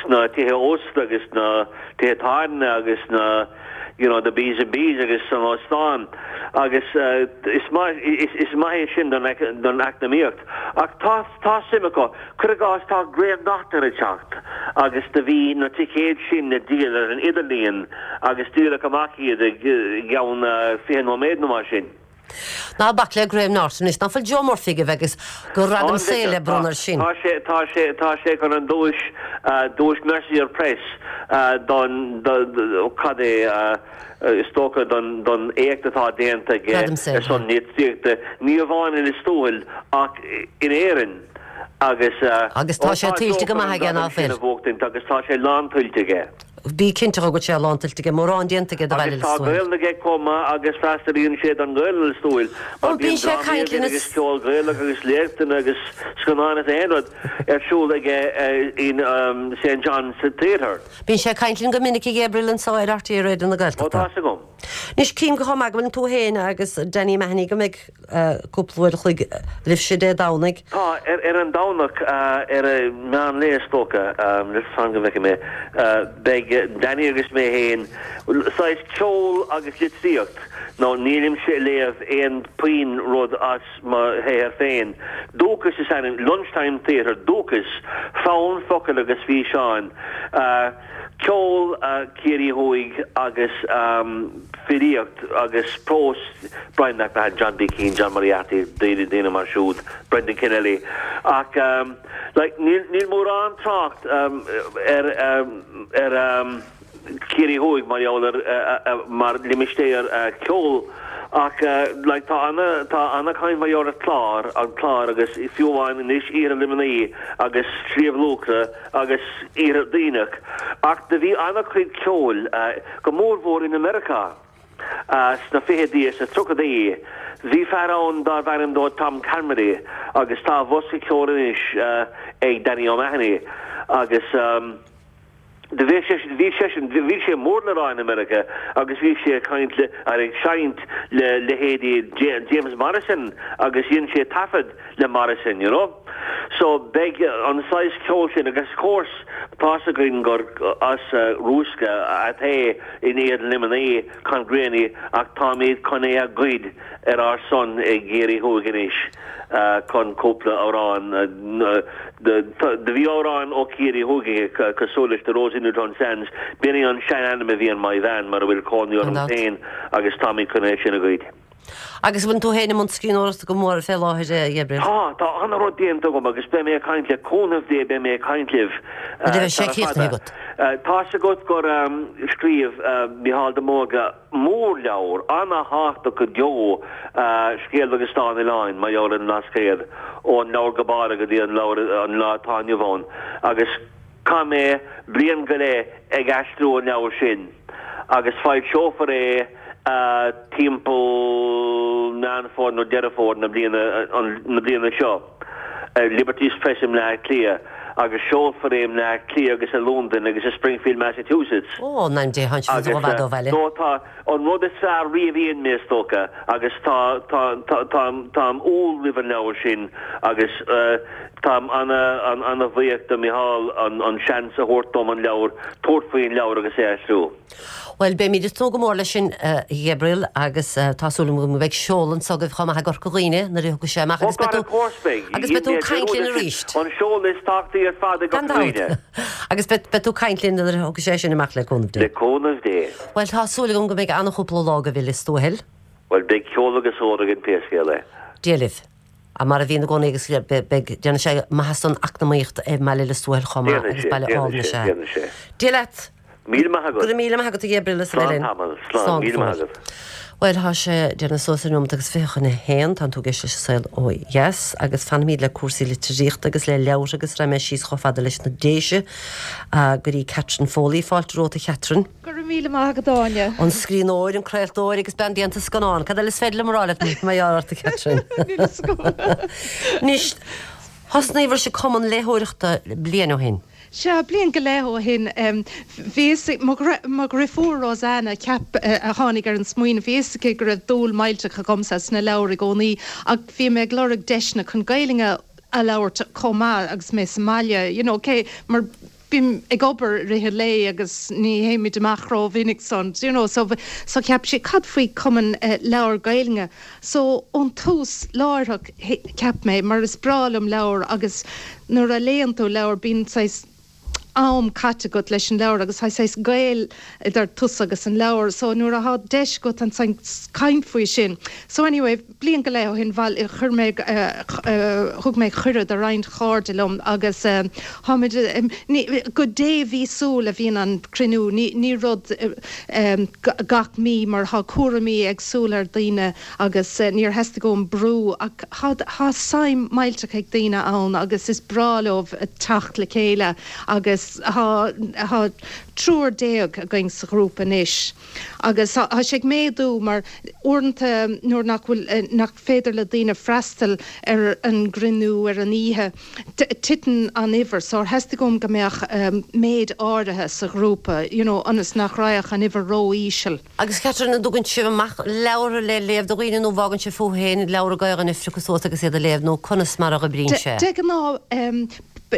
sna tithe ósta agus na tithe tábhairne agus na you know the B's and B's agus san óstán agus uh, is maith is, is maith é sin don don eacnamaíocht ach tá tá suim acu cuir i gcás tá Graham Norton ag teacht agus do bhí na ticéid sin le díol ar an idirlíon agus díoladh amach iad i gceann uh, fiche nóiméad nó mar sin. Ná bac le Graham Norton is nach bhfuil Joe Murphy go agus go gradam saoil le bronnadh sin. Tá sé tá sé tá sé chun an duais uh, duais Mercier Press uh, don cad é uh, is dócha don don éacht atá déanta aige Gradam saoil, ar son litríochta ní amháin in Lios Tuathail ach in Éirinn agus uh, Agus tá sé tuillte go maith aige, ná fuil? agus tá sé lántuillte aige. Bí cinnte go sé lántuillte aige mórán déanta aige do Agus Bhaile tá Lios Tuathail. Gaeilge aige chomh maith agus freastalaíonn sé don Ghaeilge Lios Tuathail. Ó, bíonn sé ag caint linn agus ceol Gaelach agus léachtanna agus scannáin is aon rud ar siúl aige eh, in um, St John's Theatre. Bíonn sé ag caint linn go minic Gabriel anseo ar RTÉ Raidió na Ó Gaeltachta. tá agam. Anois cím go maith go bhfuil tú féin agus Danny Mahoney go mbeidh cúpla uair a chloig libhse Dé Domhnaigh. Tá ar, ar an Domhnach uh, ar a meán lae is dócha um, le fan go bhfeice mé uh, beidh Danny agus mé féin saghas ceol agus litríocht nó nílimse ag léamh aon puinn rud as mo shaothar féin. Dúchas is ainm lunchtime theatre dúchas fonn focail agus físeáin. Uh, ceol uh, Ciarraí Thuaidh agus um, filíocht agus prós Brian McMahon, John B. Keane, John Moriarty, daoine daoine mar siúd, Brendan Kennelly. Ach um, like, níl, níl mórán trácht um, ar, um, ar um, Ciarraí Thuaidh mar gheall ar uh, uh, mar limistéar uh, ceol ach uh, like, tá ana tá ana chaint mar gheall ar chlár an clár agus fiú amháin anois Iarthar Luimnigh agus Sliabh Luachra agus Iarthar Duibhneach ach do bhí ana chuid ceoil uh, go mórmhór in America uh, sna fichidí is na tríochaidí bhí fear ann darbh ainm dó Tom Carmody agus tá bosca ceoil anois uh, ag Danny O'Mahony agus um, De bhí sé bhí sé bhí sé mór le rá in America agus bhí sé caint le ar ag seinnt le leithéidí James Morrison agus dhein sé taifead le Morrison, you know? So beidh an saghas ceol sin agus course tá againn gur as uh, Rúsca atá in Iarthar Luimnigh Con Greaney ach táimid chun é a ghoid ar ár son ag Ciarraí Thuaidh anois uh, chun cúpla amhrán uh, de bhí amhrán ó Ciarraí Thuaidh cosúil leis The Rose in Newtown Sands b'in an sean-ainm a bhí ar mo bhean mar a bhfuil cónaí orm An féin agus táimid chun é sin a ghoid. Agus bhfuil tú féin i mbun scríbhneoireachta go mór fé láthair Gabriel. Tá tá ana rud déanta agam agus beidh mé ag caint le cúnamh Dé beidh mé ag caint libh. Nuair a bheidh sé críochnaithe agat. Tá sé agat gur um, scríobh uh, Micheál de Mórdha mórleabhar ana-thábhachtach go deo uh, scéal agus dán oileáin mar gheall ar an mBlascaod ón leabhar Gabála go dtí an leabhar an lá atá inniu ann agus chaith mé bliain go leith ag aistriú an leabhar sin agus foilseofar é uh, timpeall Meán Fómhair nó Deireadh Fómhair na bliana an- na bliana seo. Uh, Liberties Press i mBleá Cliath agus seolfar é i mBleá Cliath agus i London agus i Springfield, Massachusetts. Ó ná dé han Agus, ó bhad ó bhaile. no, tá an rud is fearr riamh a dhein mé is dócha agus tá tá tá tá táim umhal roimh an leabhar sin agus uh, táim ana an ana bhuíoch do Micheál an an seans a thabhairt dom an leabhar tabhairt faoin leabhar agus é aistriú. Well beimid ag tnúth go mór leis sin uh, Gabriel agus uh, tá súil agam go mbeidh seoladh agaibh chomh maith i gCorca Dhuibhne nuair a thiocfaidh sé amach agus beidh tú agus beidh tú ag caint linn arís. An seoladh is tábhachtaí ar fad i Gan gCorca dabht. Dhuibhne. Agus beidh beidh tú ag caint linn nuair a thiocfaidh sé sin amach le cúnamh Dé. Le cúnamh Dé. Well tá súil agam go mbeidh an-chúpla lá agaibh i Lios Tuathail. Well beidh ceol agus ól againn pé scéal é. Dia libh. A mar a bhíonn i gcónaí agus beidh déanfaidh sé maitheas don eacnamaíocht i mBaile Lios Tuathail chomh maith agus baile álainn sé. Déanfaidh sé. Dia leat. Míle maith agat. Go raibh míle maith agat a Gabriel is Slán linn. tamall, slán, míle maith agat. Well tá sé déanamh suas ar nóiméad agus fiche chun a haon tá tú ag éisteacht leis an Saol Ó Dheas agus fanfaimid le cúrsaí litríochta agus le leabhair agus raghaidh mé síos chomh fada leis na Déise go dtí Catherine Foley fáilte romhat a Catherine. Go raibh míle maith agat Áine. An scríbhneoir an craoltóir agus bean déanta scannán, Cad eile is féidir liom a rá leat mar gheall ort a Catherine. Anois thosnaíobhair-se cumann léitheoireachta bliain ó shin. Sea bliain go leith ó shin bhí mo dheirfiúr Rosanna ceap a tháinig ar an smaoineamh bhí a fhios aici go raibh dúil millteach agamsa sna leabhair i gcónaí ach bhí mé ag lorg deiseanna chun Gaeilge a labhairt chomh maith agus mé sa mbaile, you know, cé mar bím ag obair i rith an lae agus ní théimid amach rómhinic san you know so so cheap sé cad faoi cumann uh, leabhar Gaeilge so ón tús láithreach cheap mé mar is breá liom leabhar agus nuair a léann tú leabhar bíonn saghas am caite agat leis an leabhar agus tá saghas gaol idir tusa agus an leabhar, so nuair atá deis agat an caint faoi sin. So anyway, bliain go leith ó shin bhuel chuir mé thug mé cuireadh do roinnt cairde liom agus tháimid go dé mhíosúil a bhíonn an cruinniú ní ní rud gach mí mar tá cúraimí éagsúla ar daoine agus níor theastaigh uaim brú ach tá suim millteach ag daoine ann agus is breá leo teacht le chéile agus tá triúr déag againn sa ghrúpa anois. Agus tá sé ag méadú mar uaireanta nuair nach bhfuil eh, nach féidir le daoine freastal ar an gcruinniú ar an oíche. Titeann an uimhir, so theastaigh uaim go mbeadh um, méid áirithe sa ghrúpa, you know, ionas nach raghadh an uimhir ró-íseal. Agus Catherine an dtugann sibh amach leabhar le léamh do dhaoine nó bhfágann sibh fúthu féin leabhar Gaeilge a phiocadh suas agus iad a léamh nó conas mar a oibríonn sé. De ghnáth um,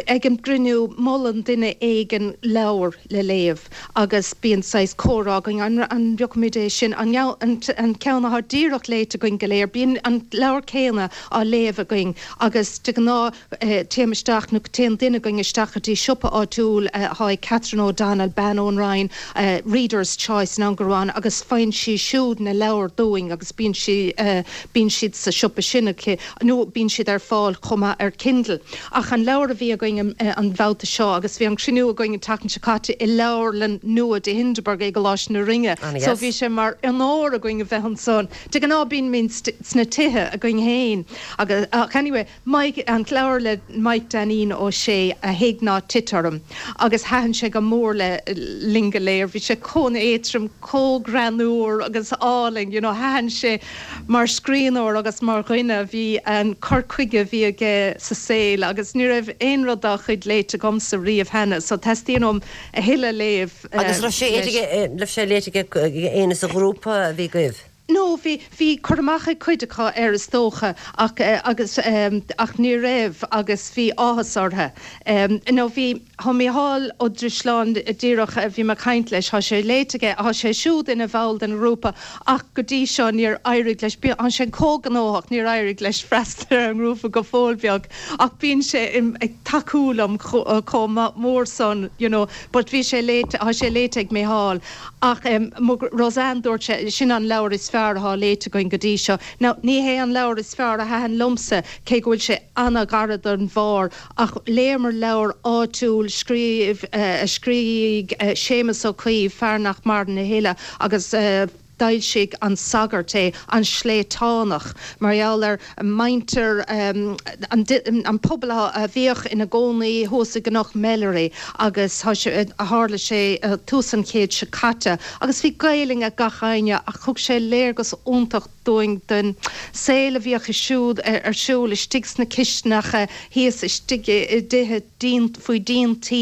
ag an gcruinniú molann duine éigin leabhar le léamh agus bíonn saghas comhrá againn an an bpiocfaimid é sin an an, an ceann atá díreach léite againn go léir, bíonn an leabhar céanna á léamh againn agus de ghnáth eh, téim isteach nó téann duine againn isteach go dtí siopa áitiúil eh, atá ag Catherine O'Donnell bean ón Rinn eh, Reader's Choice ná Gurán agus faigheann sí siúd na leabhair dúinn agus bíonn sí eh, bíonn siad sa siopa sin aici nó bíonn siad ar fáil chomh maith ar Kindle. Ach an leabhar a bhí againn eh, an babhta seo agus bhí an cruinniú againn an tseachtain seo caite i leabharlann nua de Hindeberg i gColáiste na Rinne. So bhí sé mar onóir againn a bheith ansan. De ghnáth bímid sna tithe againn féin agus ach anyway, Mike an leabhar le Mike Dainín Ó Sé a Thig Ná Tit Orm agus thaitin sé go mór le linn go léir, bhí sé chomh héadrom chomh greannmhar agus álainn, you know, thaitin sé mar scríbhneoir agus mar dhuine bhí an cur chuige bhí aige sa saol agus ní raibh aon rud dá chuid léite agamsa riamh cheana, so teastaíonn uaim a thuilleadh léamh. Agus raibh sé raibh sé léite ag éinne sa ghrúpa a bhí agaibh. No bhí bhí cur amach ag cuid acu air is dócha ach uh, agus um, ach ní raibh agus bhí áthas orthu. Um, no bhí Tá Mícheál Ó Drisleáin díreach a bhí mé ag caint leis tá sé léite aige tá sé siúd ina bhall den ghrúpa ach go dtí seo níor éirigh leis an sé chomh gnóthach níor éirigh leis freastal ar an ngrúpa go fóill beag ach bíonn sé ag tacú liom chomh mór san you know, but bhí sé léite tá sé léite ag Mícheál ach um, Rosanne dúirt sé sin an leabhar is fearr atá léite againn go dtí seo. Now ní hé an leabhar is fearr a thaitin liomsa cé go bhfuil sé an-ghar don bharr ach léamar leabhar áitiúil scríobh uh, a scrígh uh, Séamus Ó Caoimh fear nach maireann a thuilleadh agus uh, d'fhoilsigh An Sagart é an sléibhteánach mar gheall ar muintir um, an, an pobal a bhíodh ina gcónaí thuas i gCnoc Melleray agus tharla sé uh, tús an chéid seo caite agus bhí Gaeilge ag gach éinne ach thug sé léargas iontach dúinn den saol a bhíodh siúd ar siúl istigh sna cistineacha thíos istigh i dtithe díon faoi dhíon tí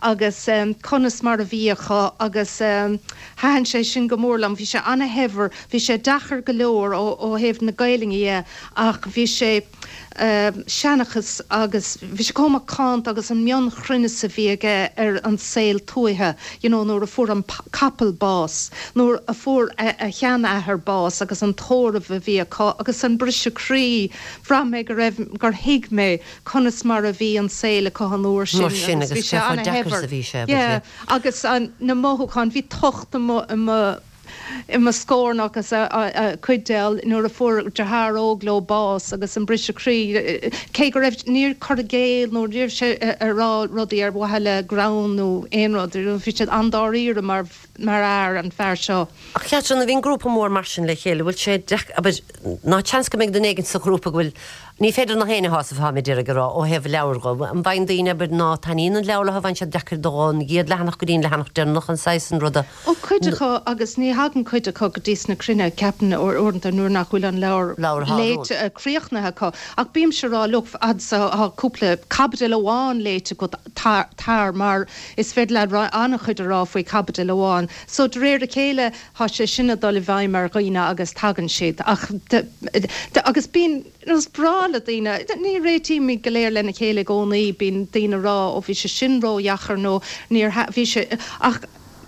agus um, conas mar a bhíodh agus um, thaitin sé sin go mór liom bhí sé an-shaibhir bhí sé deacair go leor ó ó thaobh na Gaeilge ach bhí sé uh, seanchas agus bhí sé chomh macánta agus an mionchruinneas a bhí aige ar an saol tuaithe you know, nuair a fuair an capall bás, nuair a fuair a, a sheanathair bás agus an tórramh a bhí acu agus an briseadh croí bhraith mé go raibh gur thuig mé conas mar a bhí an saol acu an uair sin sin agus bhí sé bhí sé yeah, agus an, na mothúcháin bhí tocht i mo scornach agus a cuid de nuair a fuair deartháir óg leo bás agus an briseadh croí cé go raibh níor cur i gcéill nó níor sé a rá rudaí ar mhaithe le greann nó aon rud bhí sé an-dáiríre mar mar fhear an fear seo. Ach ceat na bhíon grúpa mór mar sin le chéile, bhfuil sé ná seans go mbeidh duine éigin sa ghrúpa go bhfuil ní féidir gach éinne a shásamh tá mé ag rá ó thaobh leabhar go an bhfaigheann daoine b'fhéidir ná taitníonn an leabhar a bhain sé deacair don gcéad leathanach go dtí an leathanach deireanach an saghas an ruda. Ó cuid acu agus ní thagann cuid acu go dtí na cruinnithe ceapaim uaireanta nuair nach bhfuil an leabhar léite críochnaithe acu ach bímse ag rá look fad is tá cúpla caibidil amháin léite agat tar mar is féidir le an-chuid a rá faoi caibidil amháin. So de réir a chéile tá sé sin ag dul i bhfeidhm ar dhaoine agus tagann siad ach agus bíonn is breá gnáth le daoine, ní réitímid go léir lena chéile i gcónaí, bíonn daoine ag rá ó bhí sé sin ródheacair nó níor bhí sé ach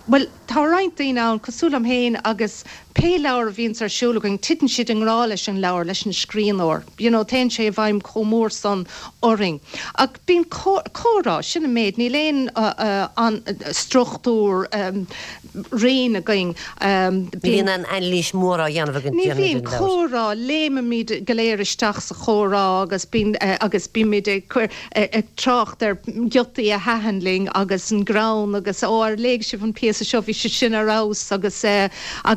bhuel tá roinnt daoine ann cosúil liom féin agus pé leabhar a bhíonns ar siúl againn titeann siad i ngrá leis an leabhar, leis an scríbhneoir, you know téann sé i bhfeidhm chomh mór san orainn. Ach bíonn comhrá, sin an méid, níl aon an struchtúr righin againn. Ní bhíonn aon anailís mhór á dhéanamh againn. Ní bhíonn comhrá, léimimid go léir isteach sa chomhrá agus bíonn agus bímid ag cur ag trácht ar ghiotaí a thaitin linn agus an greann agus ó ar léigh sibh an píosa seo bhí sé sin ar fheabhas agus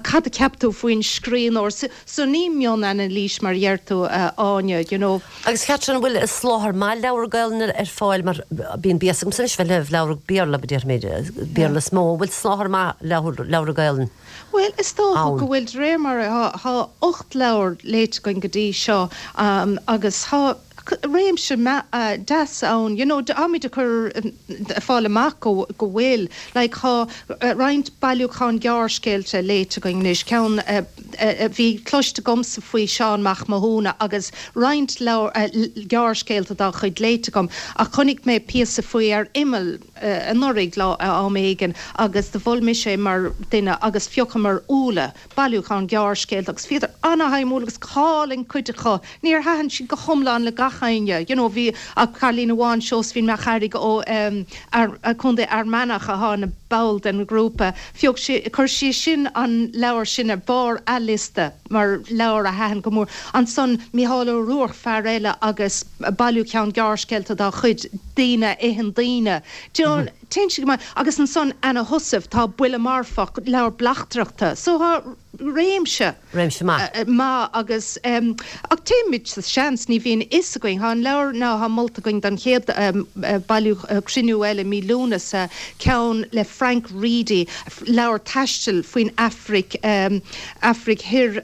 cad a cheap tú faoin scríbhneoir. So ní mion-anailís mar a deir tú a Áine, you know. Agus Catherine, an bhfuil soláthar maith leabhar Gaelainne ar fáil mar bíonn béas agamsa anois bheith léamh leabhar Béarla, déarfaimid, Béarla is mó, an bhfuil soláthar maith leabhar Gaelainne Bhuel, is dócha go bhfuil de réir mar tá ocht leabhar léite againn go dtí seo agus tá réimse deas ann, you know, táimid ag cur fáil amach go go bhfuil, like tá roinnt bailiúchán gearrscéalta léite againn anois, ceann bhí cloiste agamsa faoi Seán Mac Mathúna agus roinnt leabhar gearrscéalta dá chuid léite agam ach chonaic mé píosa faoi ar imeall anuraidh lá am éigin agus do mhol mise é mar duine agus phiocamar Úlla, bailiúchán gearrscéalta agus bhíodar ana-shuimiúil agus go hálainn cuid acu. Níor thaitin siad go hiomlán le gach éinne, you know, bhí ach cailín amháin, Seosaimhín Mac Fhearraigh ó Contae Fhear Manach atá ina ball den ghrúpa, phioc sí, chuir sí sin an leabhar sin ar barr a liosta mar leabhar a thaitin go mór. Ansan Mícheál Ó Ruairc, fear eile agus bailiúchán gearrscéalta dá chuid, Daoine a Itheann Daoine. Do you know, téann sé go maith. Agus ansan Anna Heussaff, tá Buille Marfach, leabhar bleachtaireachta. So tá réimse. Réimse maith. maith agus ach téimid sa seans, ní bhíonn fhios againn. Tá an leabhar ná tá molta againn don chéad bailiú cruinniú eile mí Lúnasa, ceann le Frank Reidy, leabhar taistil faoin Afraic, Afraic Thoir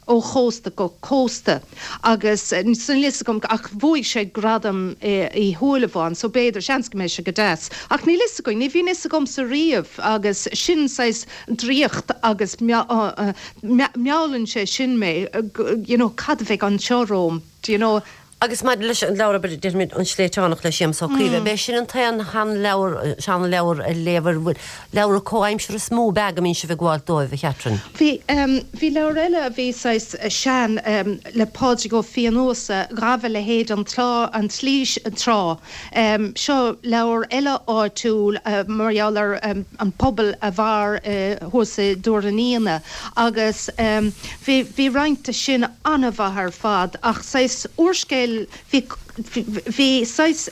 ó chósta go cósta. Agus níl fhios agam ach bhuaigh sé gradam Uí Shúilleabháin so b'fhéidir, seans go mbeidh sé go deas. Ach níl fhios againn, ní bhíonn fhios agamsa riamh agus sin saghas draíocht agus meallann sé sin mé, you know, cad a bheidh anseo romham, do you know. Agus maidir leis an leabhar, abair, déarfaimid An Sléibhteánach le Séamus Ó Caoimh, ab é sin an t-aon sheanleabhar, seanleabhar a léamh ar bhfuil leabhra comhaimseartha is mó ab ea go mbíonn sibh ag gabháil dóibh, a Chatherine? Bhí, bhí leabhar eile a bhí saghas sean le Pádraig Ó Fiannúsa, Ghabh a Leithéid an Trá, an tSlí Tráth. Seo leabhar eile áitiúil mar gheall ar an pobal a mhair thuas i dTuar an Fhíona agus bhí, bhí roinnt de sin an-mhaith ar fad ach saghas úrscéal bhí, bhí saghas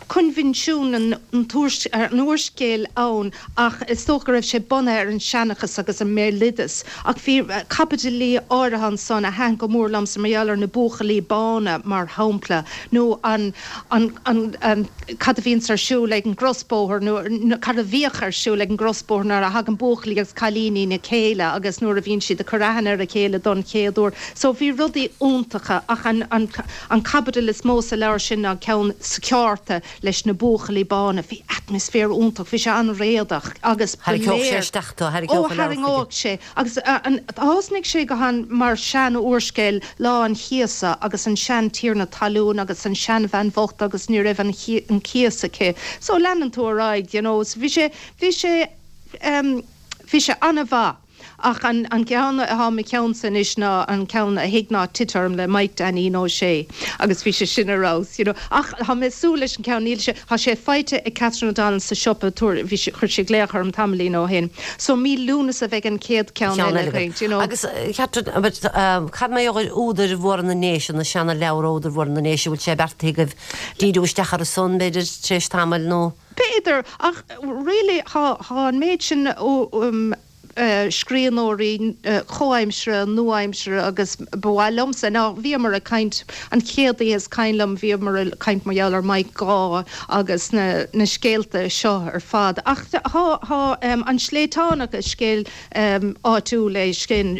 coinbhinsiún an úrscéil ann ach is dócha go raibh sé bunaithe ar an seanchas agus an mbéaloideas. Ach bhí caibidilí áirithe ansan a thaitin go mór liomsa mar gheall ar na buachaillí bána mar shampla nó an, an, an, cad a bhíonns ar siúl ag an gcrosbóthar nó cad a bhíodh ar siúl ag an gcrosbóthar nuair a thagann buachaillí agus cailíní le chéile agus nuair a bhíonn siad ag cur aithne ar a chéile don chéad uair. So bhí rudaí iontacha ach an, an, an caibidil is mó sa leabhar sin ná ceann sa cheárta leis na buachaillí bána. Bhí atmaisféar iontach, bhí sé an-réadach agus ba Tharraingeodh sé léir isteach tú, Ó, tharraingeodh an leabhar chuige. tharraingeodh sé. Agus an, thosnaigh sé go han mar sean-úrscéal Lá an Chíosa agus an sean-tiarna talún agus an seanbhean bhocht agus ní raibh an, an cíos aici. So leanann tú ar aghaidh, you know. So bhí sé, bhí sé, em, bhí sé an-mhaith. Ach an, an ceann atá i mo cheannsa anois ná an ceann A Thig Ná Tit Orm le Mike Dainín Ó Sé agus bhí sé sin ar fheabhas, you know. Ach tá mé ag súil leis an ceann, níl sé, tá sé faighte ag Catherine O'Donnell sa siopa, tabhair, bhí sé, chuir sé glaoch orm tamaillín ó shin. So mí Lúnasa a bheidh an chéad ceann Ceann eile eile againn, againn. you know. Agus Catherine, but, um, cad mar gheall ar údair mhóra na nDéise, na seana leabhar údair mhóra na nDéise, bhfuil sé beartaithe agaibh díriú isteach ar a son, b'fhéidir, tar éis tamaill nó? B'fhéidir, ach really tá, tá an méid sin ó, um, scríbhneoirí comhaimseartha, nua-aimseartha agus ba mhaith liomsa ná bhíomar ag caint an chéad oíche is cuimhin liom bhíomar ag caint mar gheall ar Mike Gaugh agus na, na scéalta seo ar fad. Ach tá, tá um, an Sléibhteánach is scéal um, áitiúil é sin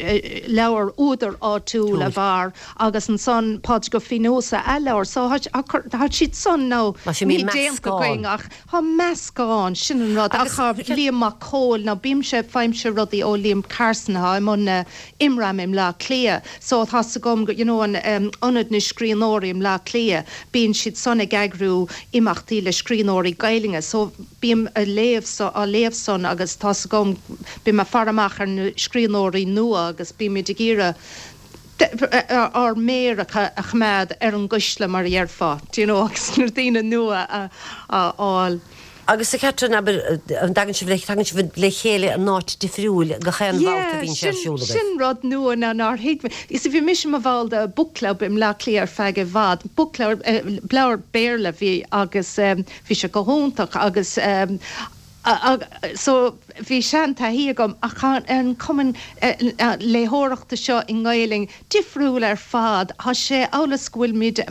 leabhar údar áitiúil a mhair agus ansan Pádraig Ó Fiannúsa a leabhar, so tá siad san nó Tá sé ní mín déanta meascán. againn ach tá meascán sin an rud ach Agus tá Liam Mac Cóil ná bímse faighimse rudaí ó Liam Carson atá i mbun Imram i mBleá Cliath. So tá's agam you know an um, ionad na scríbhneoirí i mBleá Cliath, bíonn siad san ag eagrú imeachtaí le scríbhneoirí Gaeilge, so bím a léamh so á léamh san agus tá's agam bím ag faire amach ar na scríbhneoirí nua agus bímid ag iarraidh ár méar a choimeád ar an gcuisle mar a déarfá, do you know, agus na daoine nua a fháil. Agus a Catherine an dtagann sibh le tagann sibh le chéile in áit difriúil gach aon bhabhta a bhíonn sé ar siúl agaibh. Sin rud nua ná nár thuig. Is bhí mise i mo bhall de book club i mBleá Cliath ar feadh i bhfad. Book club leabhar Béarla bhí agus bhí sé go hiontach agus so bhí seantaithí agam ach an cumann léitheoireachta seo i nGaeilge difriúil ar fad, Tá sé amhail is go bhfuilimid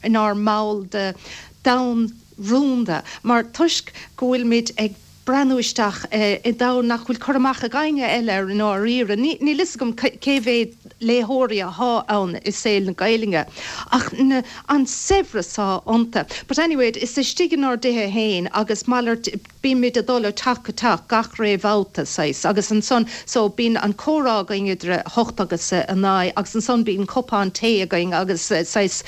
inár mball de domhan rúnda, mar toisc go bhfuilimid ag breathnú isteach i domhan nach bhfuil cur amach ag éinne eile ar an áiríre. Níl fhios agam cé mhéad léitheoirí atá ann i saol na Gaeilge ach na, an saibhreas atá iontu. But anyway, is istigh inár dtithe féin agus malairt bímid ag dul ó teach go teach gach ré bhabhta saghas agus ansan so bíonn an comhrá againn idir a hocht agus a naoi agus ansan bíonn cupán tae againn agus saghas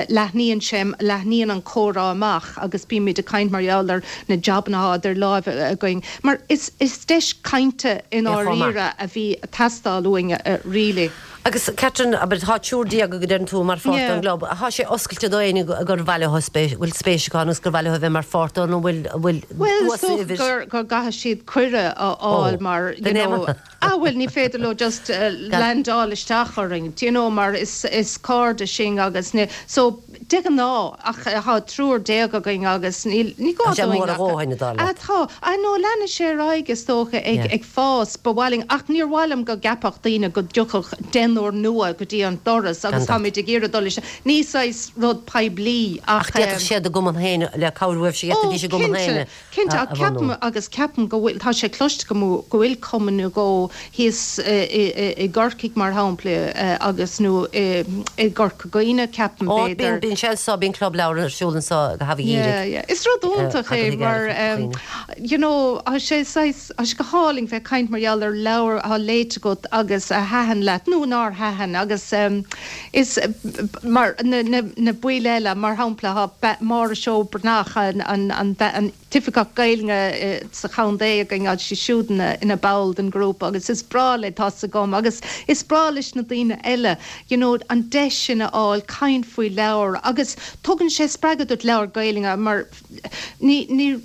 leathnaíonn sé leathnaíonn an comhrá amach agus bímid ag caint mar gheall ar na jabanna atá idir láimhe againn. Mar is is deis cainte in áiríre a bhí ag teastáil uainn really. Agus Catherine aber tá triúr déag go deireann tú mar pháirt an gclub. Tá sé oscailte do éinne gur mhaith leo spéis bhfuil spéis acu agus gur mhaith leo bheith mar pháirt nó bhfuil bhfuil Well gur gur gcaithfidh siad cuireadh a fháil mar you know ah well ní féidir leo just uh, landáil isteach orainn you know mar is is cairde sinn agus ní so de ghnáth ach tá triúr déag againn agus ní ní gá Tá sé mór a dhóthain a Ah tá a nó leanfaidh sé ar aghaidh is dócha ag ag fás ba mhaith linn ach níor mhaith liom go gceapfadh daoine go dtiocfadh deichniúr nua go dtí an doras agus táimid ag iarraidh dul leis ní saghas rud poiblí ach d'fhéadfadh siad a gcumann féin le cabhrú si dí sé gcumann féin. Cinnte ceapaim agus ceapaim go bhfuil tá sé cloiste go go bhfuil cumann nó dhó thíos i gCorcaigh mar shampla agus nó i gCorca Dhuibhne ceapaim b'fhéidir. Bíonn sé so bíonn club leabhar ar siúl anseo go hAbhaigh. Is rud iontach é mar you know sé sé go hálainn bheith caint mar gheall ar leabhar atá léite agat agus a thaitin leat nó nár thaitin agus um, is mar na, na, na baill eile mar shampla tá Máire Seó Breathnach an, an, an, an t-oifigeach Gaeilge sa chontae againn sí siúd ina, ina ball den grúpa agus is breá léi tá's agam agus is breá leis na daoine eile you know, an deis sin a fháil caint faoi leabhar agus tugann sé spreagadh duit leabhar Gaeilge mar ní ní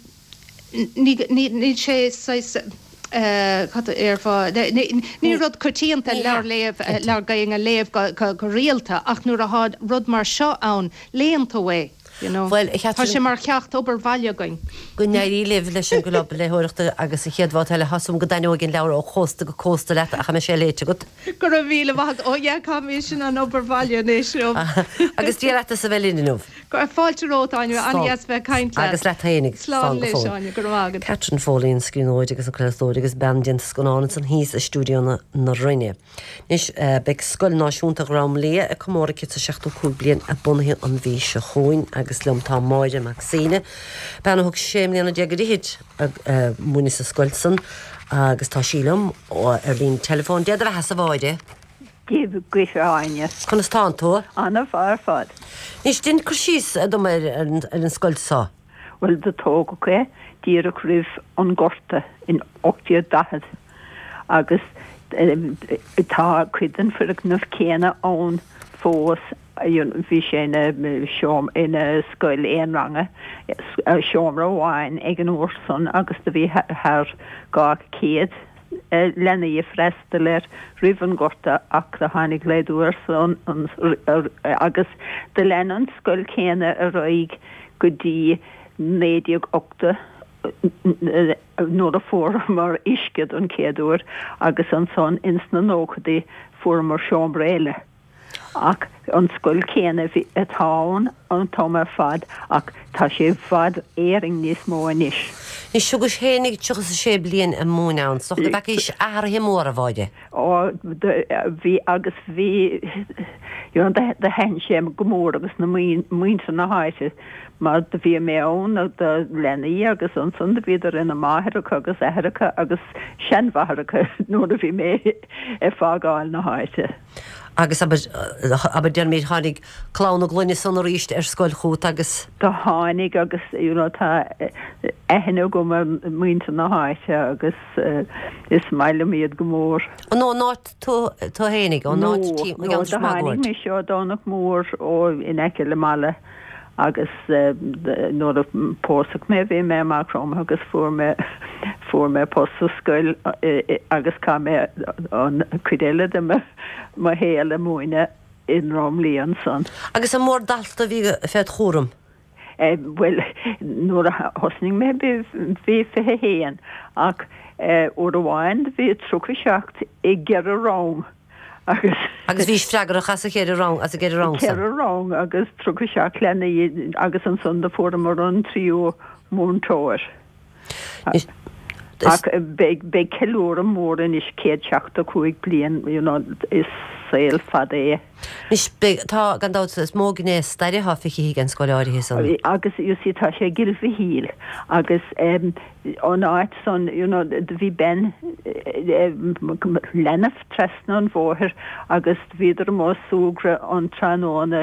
ní ní sé ní rud coitianta leabhar léamh leabhar Gaeilge a léamh go rialta ach nuair atá rud mar seo ann léann tú é. You know. Well, Tá sé mar cheacht obair bhaile againn. Go n-éirí libh leis an gclub léitheoireachta agus an chéad bhabhta eile tá súil agam go dtaitneoidh an leabhar ó chósta go cósta leat ach sé léite agat. Go raibh míle maith ó yeah caithfidh mé sin an obair bhaile anois. Agus Dia leat as a bheith linn inniu. Fáilte romhat Áine an-deas bheith caint leat. Agus leat féinig Slán leis Áine go raibh Catherine Foley an scríbhneoir agus an craoltóir agus bean déanta scannán ansan thíos i stiúideo na Rinne. Anois beidh Scoil Náisiúnta Dhrom Liath ag comóradh céad seachtó cúig bliain a bunaithe an mhí seo chugainn agus liom tá Máire Mac Suibhne. Bean a thug sé mbliana déag go dtí ag múineadh sa scoil san agus tá sí liom ar líne telefón Dia do bheatha a Mháire. Dia duit Áine. Conas tánn tú? An-mhaith ar fad. Anois déan cur síos dom ar an scoil seo. Well do tógadh é díreach roimh an Gorta in ocht déag daichead agus tá cuid den foirgneamh céanna ann fós bhí sé ina ina scoil aon ranga seomra amháin ag an uair san agus do bhí thar dhá chéad leanaí ag freastal air roimh an Gorta ach do tháinig laghdú air san agus do lean an scoil céanna ar aghaidh go dtí naoi déag ochtó nuair a fuaireamar uisce don chéad uair agus ansan ins na nóchaidí fuaireamar seomra eile. Ach an scoil céanna atá ann an t-am ar fad ach tá sé i bhfad Éireann níos mó anois. Anois thugais fhéinig tríocha is a sé bliain ag múineadh ann, is dócha go bhfeacaís athruithe móra, a Mháire. Ó, bhí agus bhí, you know, do thaitin sé go mór agus na muintir na háite mar do bhí mé ann do leanaí agus ansan do bhíodar ina máithreacha agus aithreacha agus seanmháithreacha nuair a bhí mé ag fágáil na háite. Agus abair, abair déarfaimid, tháinig clann na gclainne san arís ar scoil chugat agus. Do tháinig agus you know tá aithne agam ar mhuintir na háite agus is maith liom iad go mór. An ón áit tú tú fhéinig, ón áit tí, No, no, do tháinig mise ó Domhnach Mór ó in aice le Mala agus nuair a pósadh mé bhí mé i Maigh Chromtha agus fuair mé fuair mé post sa scoil agus chaith mé an cuid eile de mo mo shaol ag múineadh i nDroim Lia ansan. Agus an mór dalta a bhí fed chúram? Bhuel, nuair a thosnaigh mé bhí bhí fiche haon ach uair amháin bhí tríocha seacht i gceithre rang. Agus. Agus bhís freagrach as a cheithre rang, as an gceithre rang san? Ceithre rang agus tríocha seacht leanaí agus ansan do fuaireamar an tríú múinteoir. Ach beidh, beidh ceiliúradh mór anois, céad seachtó cúig bliain, you know, is saol fada é. Anois beidh, tá, gan dabht, is mó gné staire atá feicthe ag an scoil áirithe san. Agus you see tá sé i gCill Mhichíl agus an áit san, you know, do bhí bean, leanbh trasna an bhóthair agus bhíodar amuigh ag súgradh an tráthnóna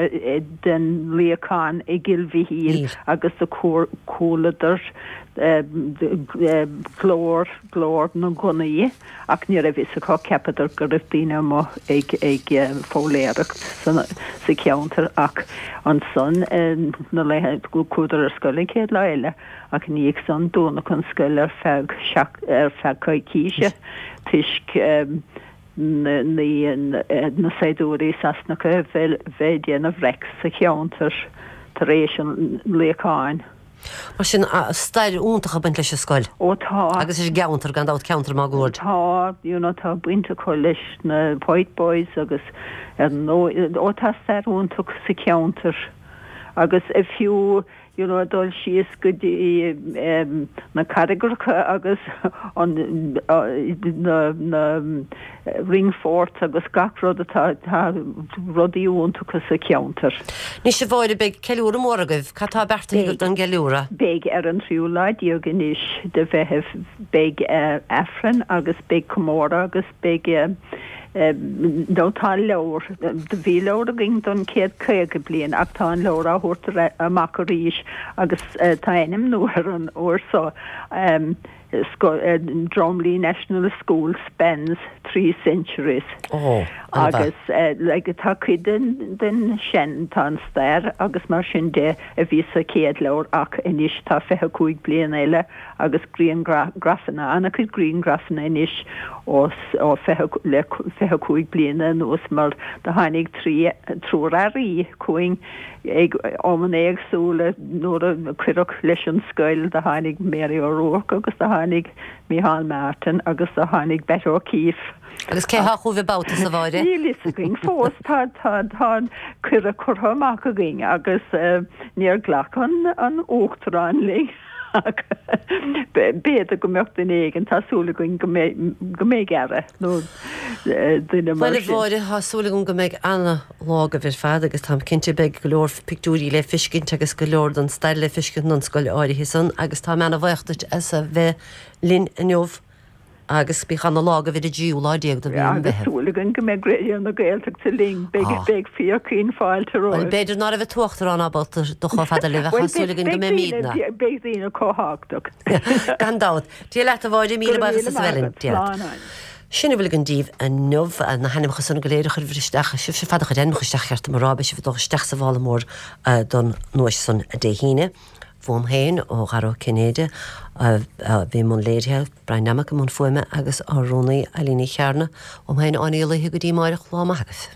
den luíochán i gCill Mhichíl agus do chualadar glór, glór na ngunnaí ach ní raibh fhios acu, cheapadar go raibh daoine amuigh ag ag foghlaeireacht sa cheantar ach ansan na laethe, chuadar ar scoil an chéad lá eile ach ina dhiaidh san dúnadh an scoil ar feadh ar feadh coicíse toisc na na saighdiúirí Sasanacha bheith ag déanamh raic sa cheantar tar éis an luíocháin. Mar sin, stair iontach ag baint leis an scoil. Ó tá. Agus leis an gceantar, gan dabht, ceantar máguaird. Tá, you know, tá baint acu leis na White Boys agus ar ndóigh, ó tá stair iontach sa cheantar agus fiú, you know, dul síos go dtí na carraigreacha agus an, na, na ring forts agus gach rud atá, tá rudaí iontacha sa cheantar. Anois a Mháire, beidh ceiliúradh mór agaibh. Cad tá beartaithe agaibh don gceiliúradh? Beidh ar an tríú lá déag anois de Mheitheamh beidh Aifreann agus beidh comóradh agus beidh nó tá leabhar, do bhí leabhar againn don chéad caoga bliain ach tá an leabhar á thabhairt amach arís agus tá ainm nua air an uair seo, Drumley National School spans three centuries. Ó, Agus like tá cuid den den sin, tá an stair agus mar sin de a bhí sa chéad leabhar ach anois tá fiche cúig bliain eile agus grianghrafanna, an-chuid grianghrafanna anois ó ó fiche le fiche cúig bliana anuas mar do tháinig trí triúr airí chugainn ag amanna éagsúla nuair a cuireadh leis an scoil, do tháinig Mary O'Rourke agus do tháinig Micheál Martin agus do tháinig Batt O'Keeffe. Agus cé há chugaibh an babhta seo, a Mháire? Níl fhios againn fós. Tá, tá, tá an cuireadh curtha amach againn agus níor ghlac an, an Uachtarán linn ach b'fhéidir go mbeadh duine éigin, tá súil againn go mbeidh, go mbeidh aire nó duine mar Bhuel, a sin. Mháire, tá súil agam go mbeidh ana-lá agaibh ar fad agus táim cinnte beidh go leor pictiúirí le feiscint agus go leor den stair le feiscint an scoil áirithe san agus táim ana-bhuíoch duit as a bheith linn inniu agus bíodh ana-lá agaibh ar an dtríú lá déag de mhí an Agus Mheithimh. súil againn go mbeidh Raidió na Gaeltachta linn, beidh, Ah. beidh fíorchaoin fáilte Bhuel, romhaibh. b'fhéidir ná raibh an tUachtarán ábalta dul chomh fada libh ach tá Bhuel, súil beidh, againn go beidh mbeimidne. daoine, beidh daoine chomh tábhachtach. Gan dabht. Dia leat a Mháire, Go míle raibh buíochas míle as a maith bheith linn. agat. Dia leat. Slán Áine. Sin a bhfuil againn daoibh inniu, na hainmneacha san go léir a chuirfear isteach, sibhse ar fad a chuir ainmneacha isteach ceart dom a rá, beidh sibh ag dul isteach sa mhála mór don nduais san Dé hAoine. Uaim féin, ó Dhara Ó Cinnéide, a bhí i mbun léirithe, Brian Nammock i mbun fuaime agus ár rúnaí Eileen Ní Chearna. Uaim féin, Áine Ní Laoithe go dtí amáireach, lá maith agaibh.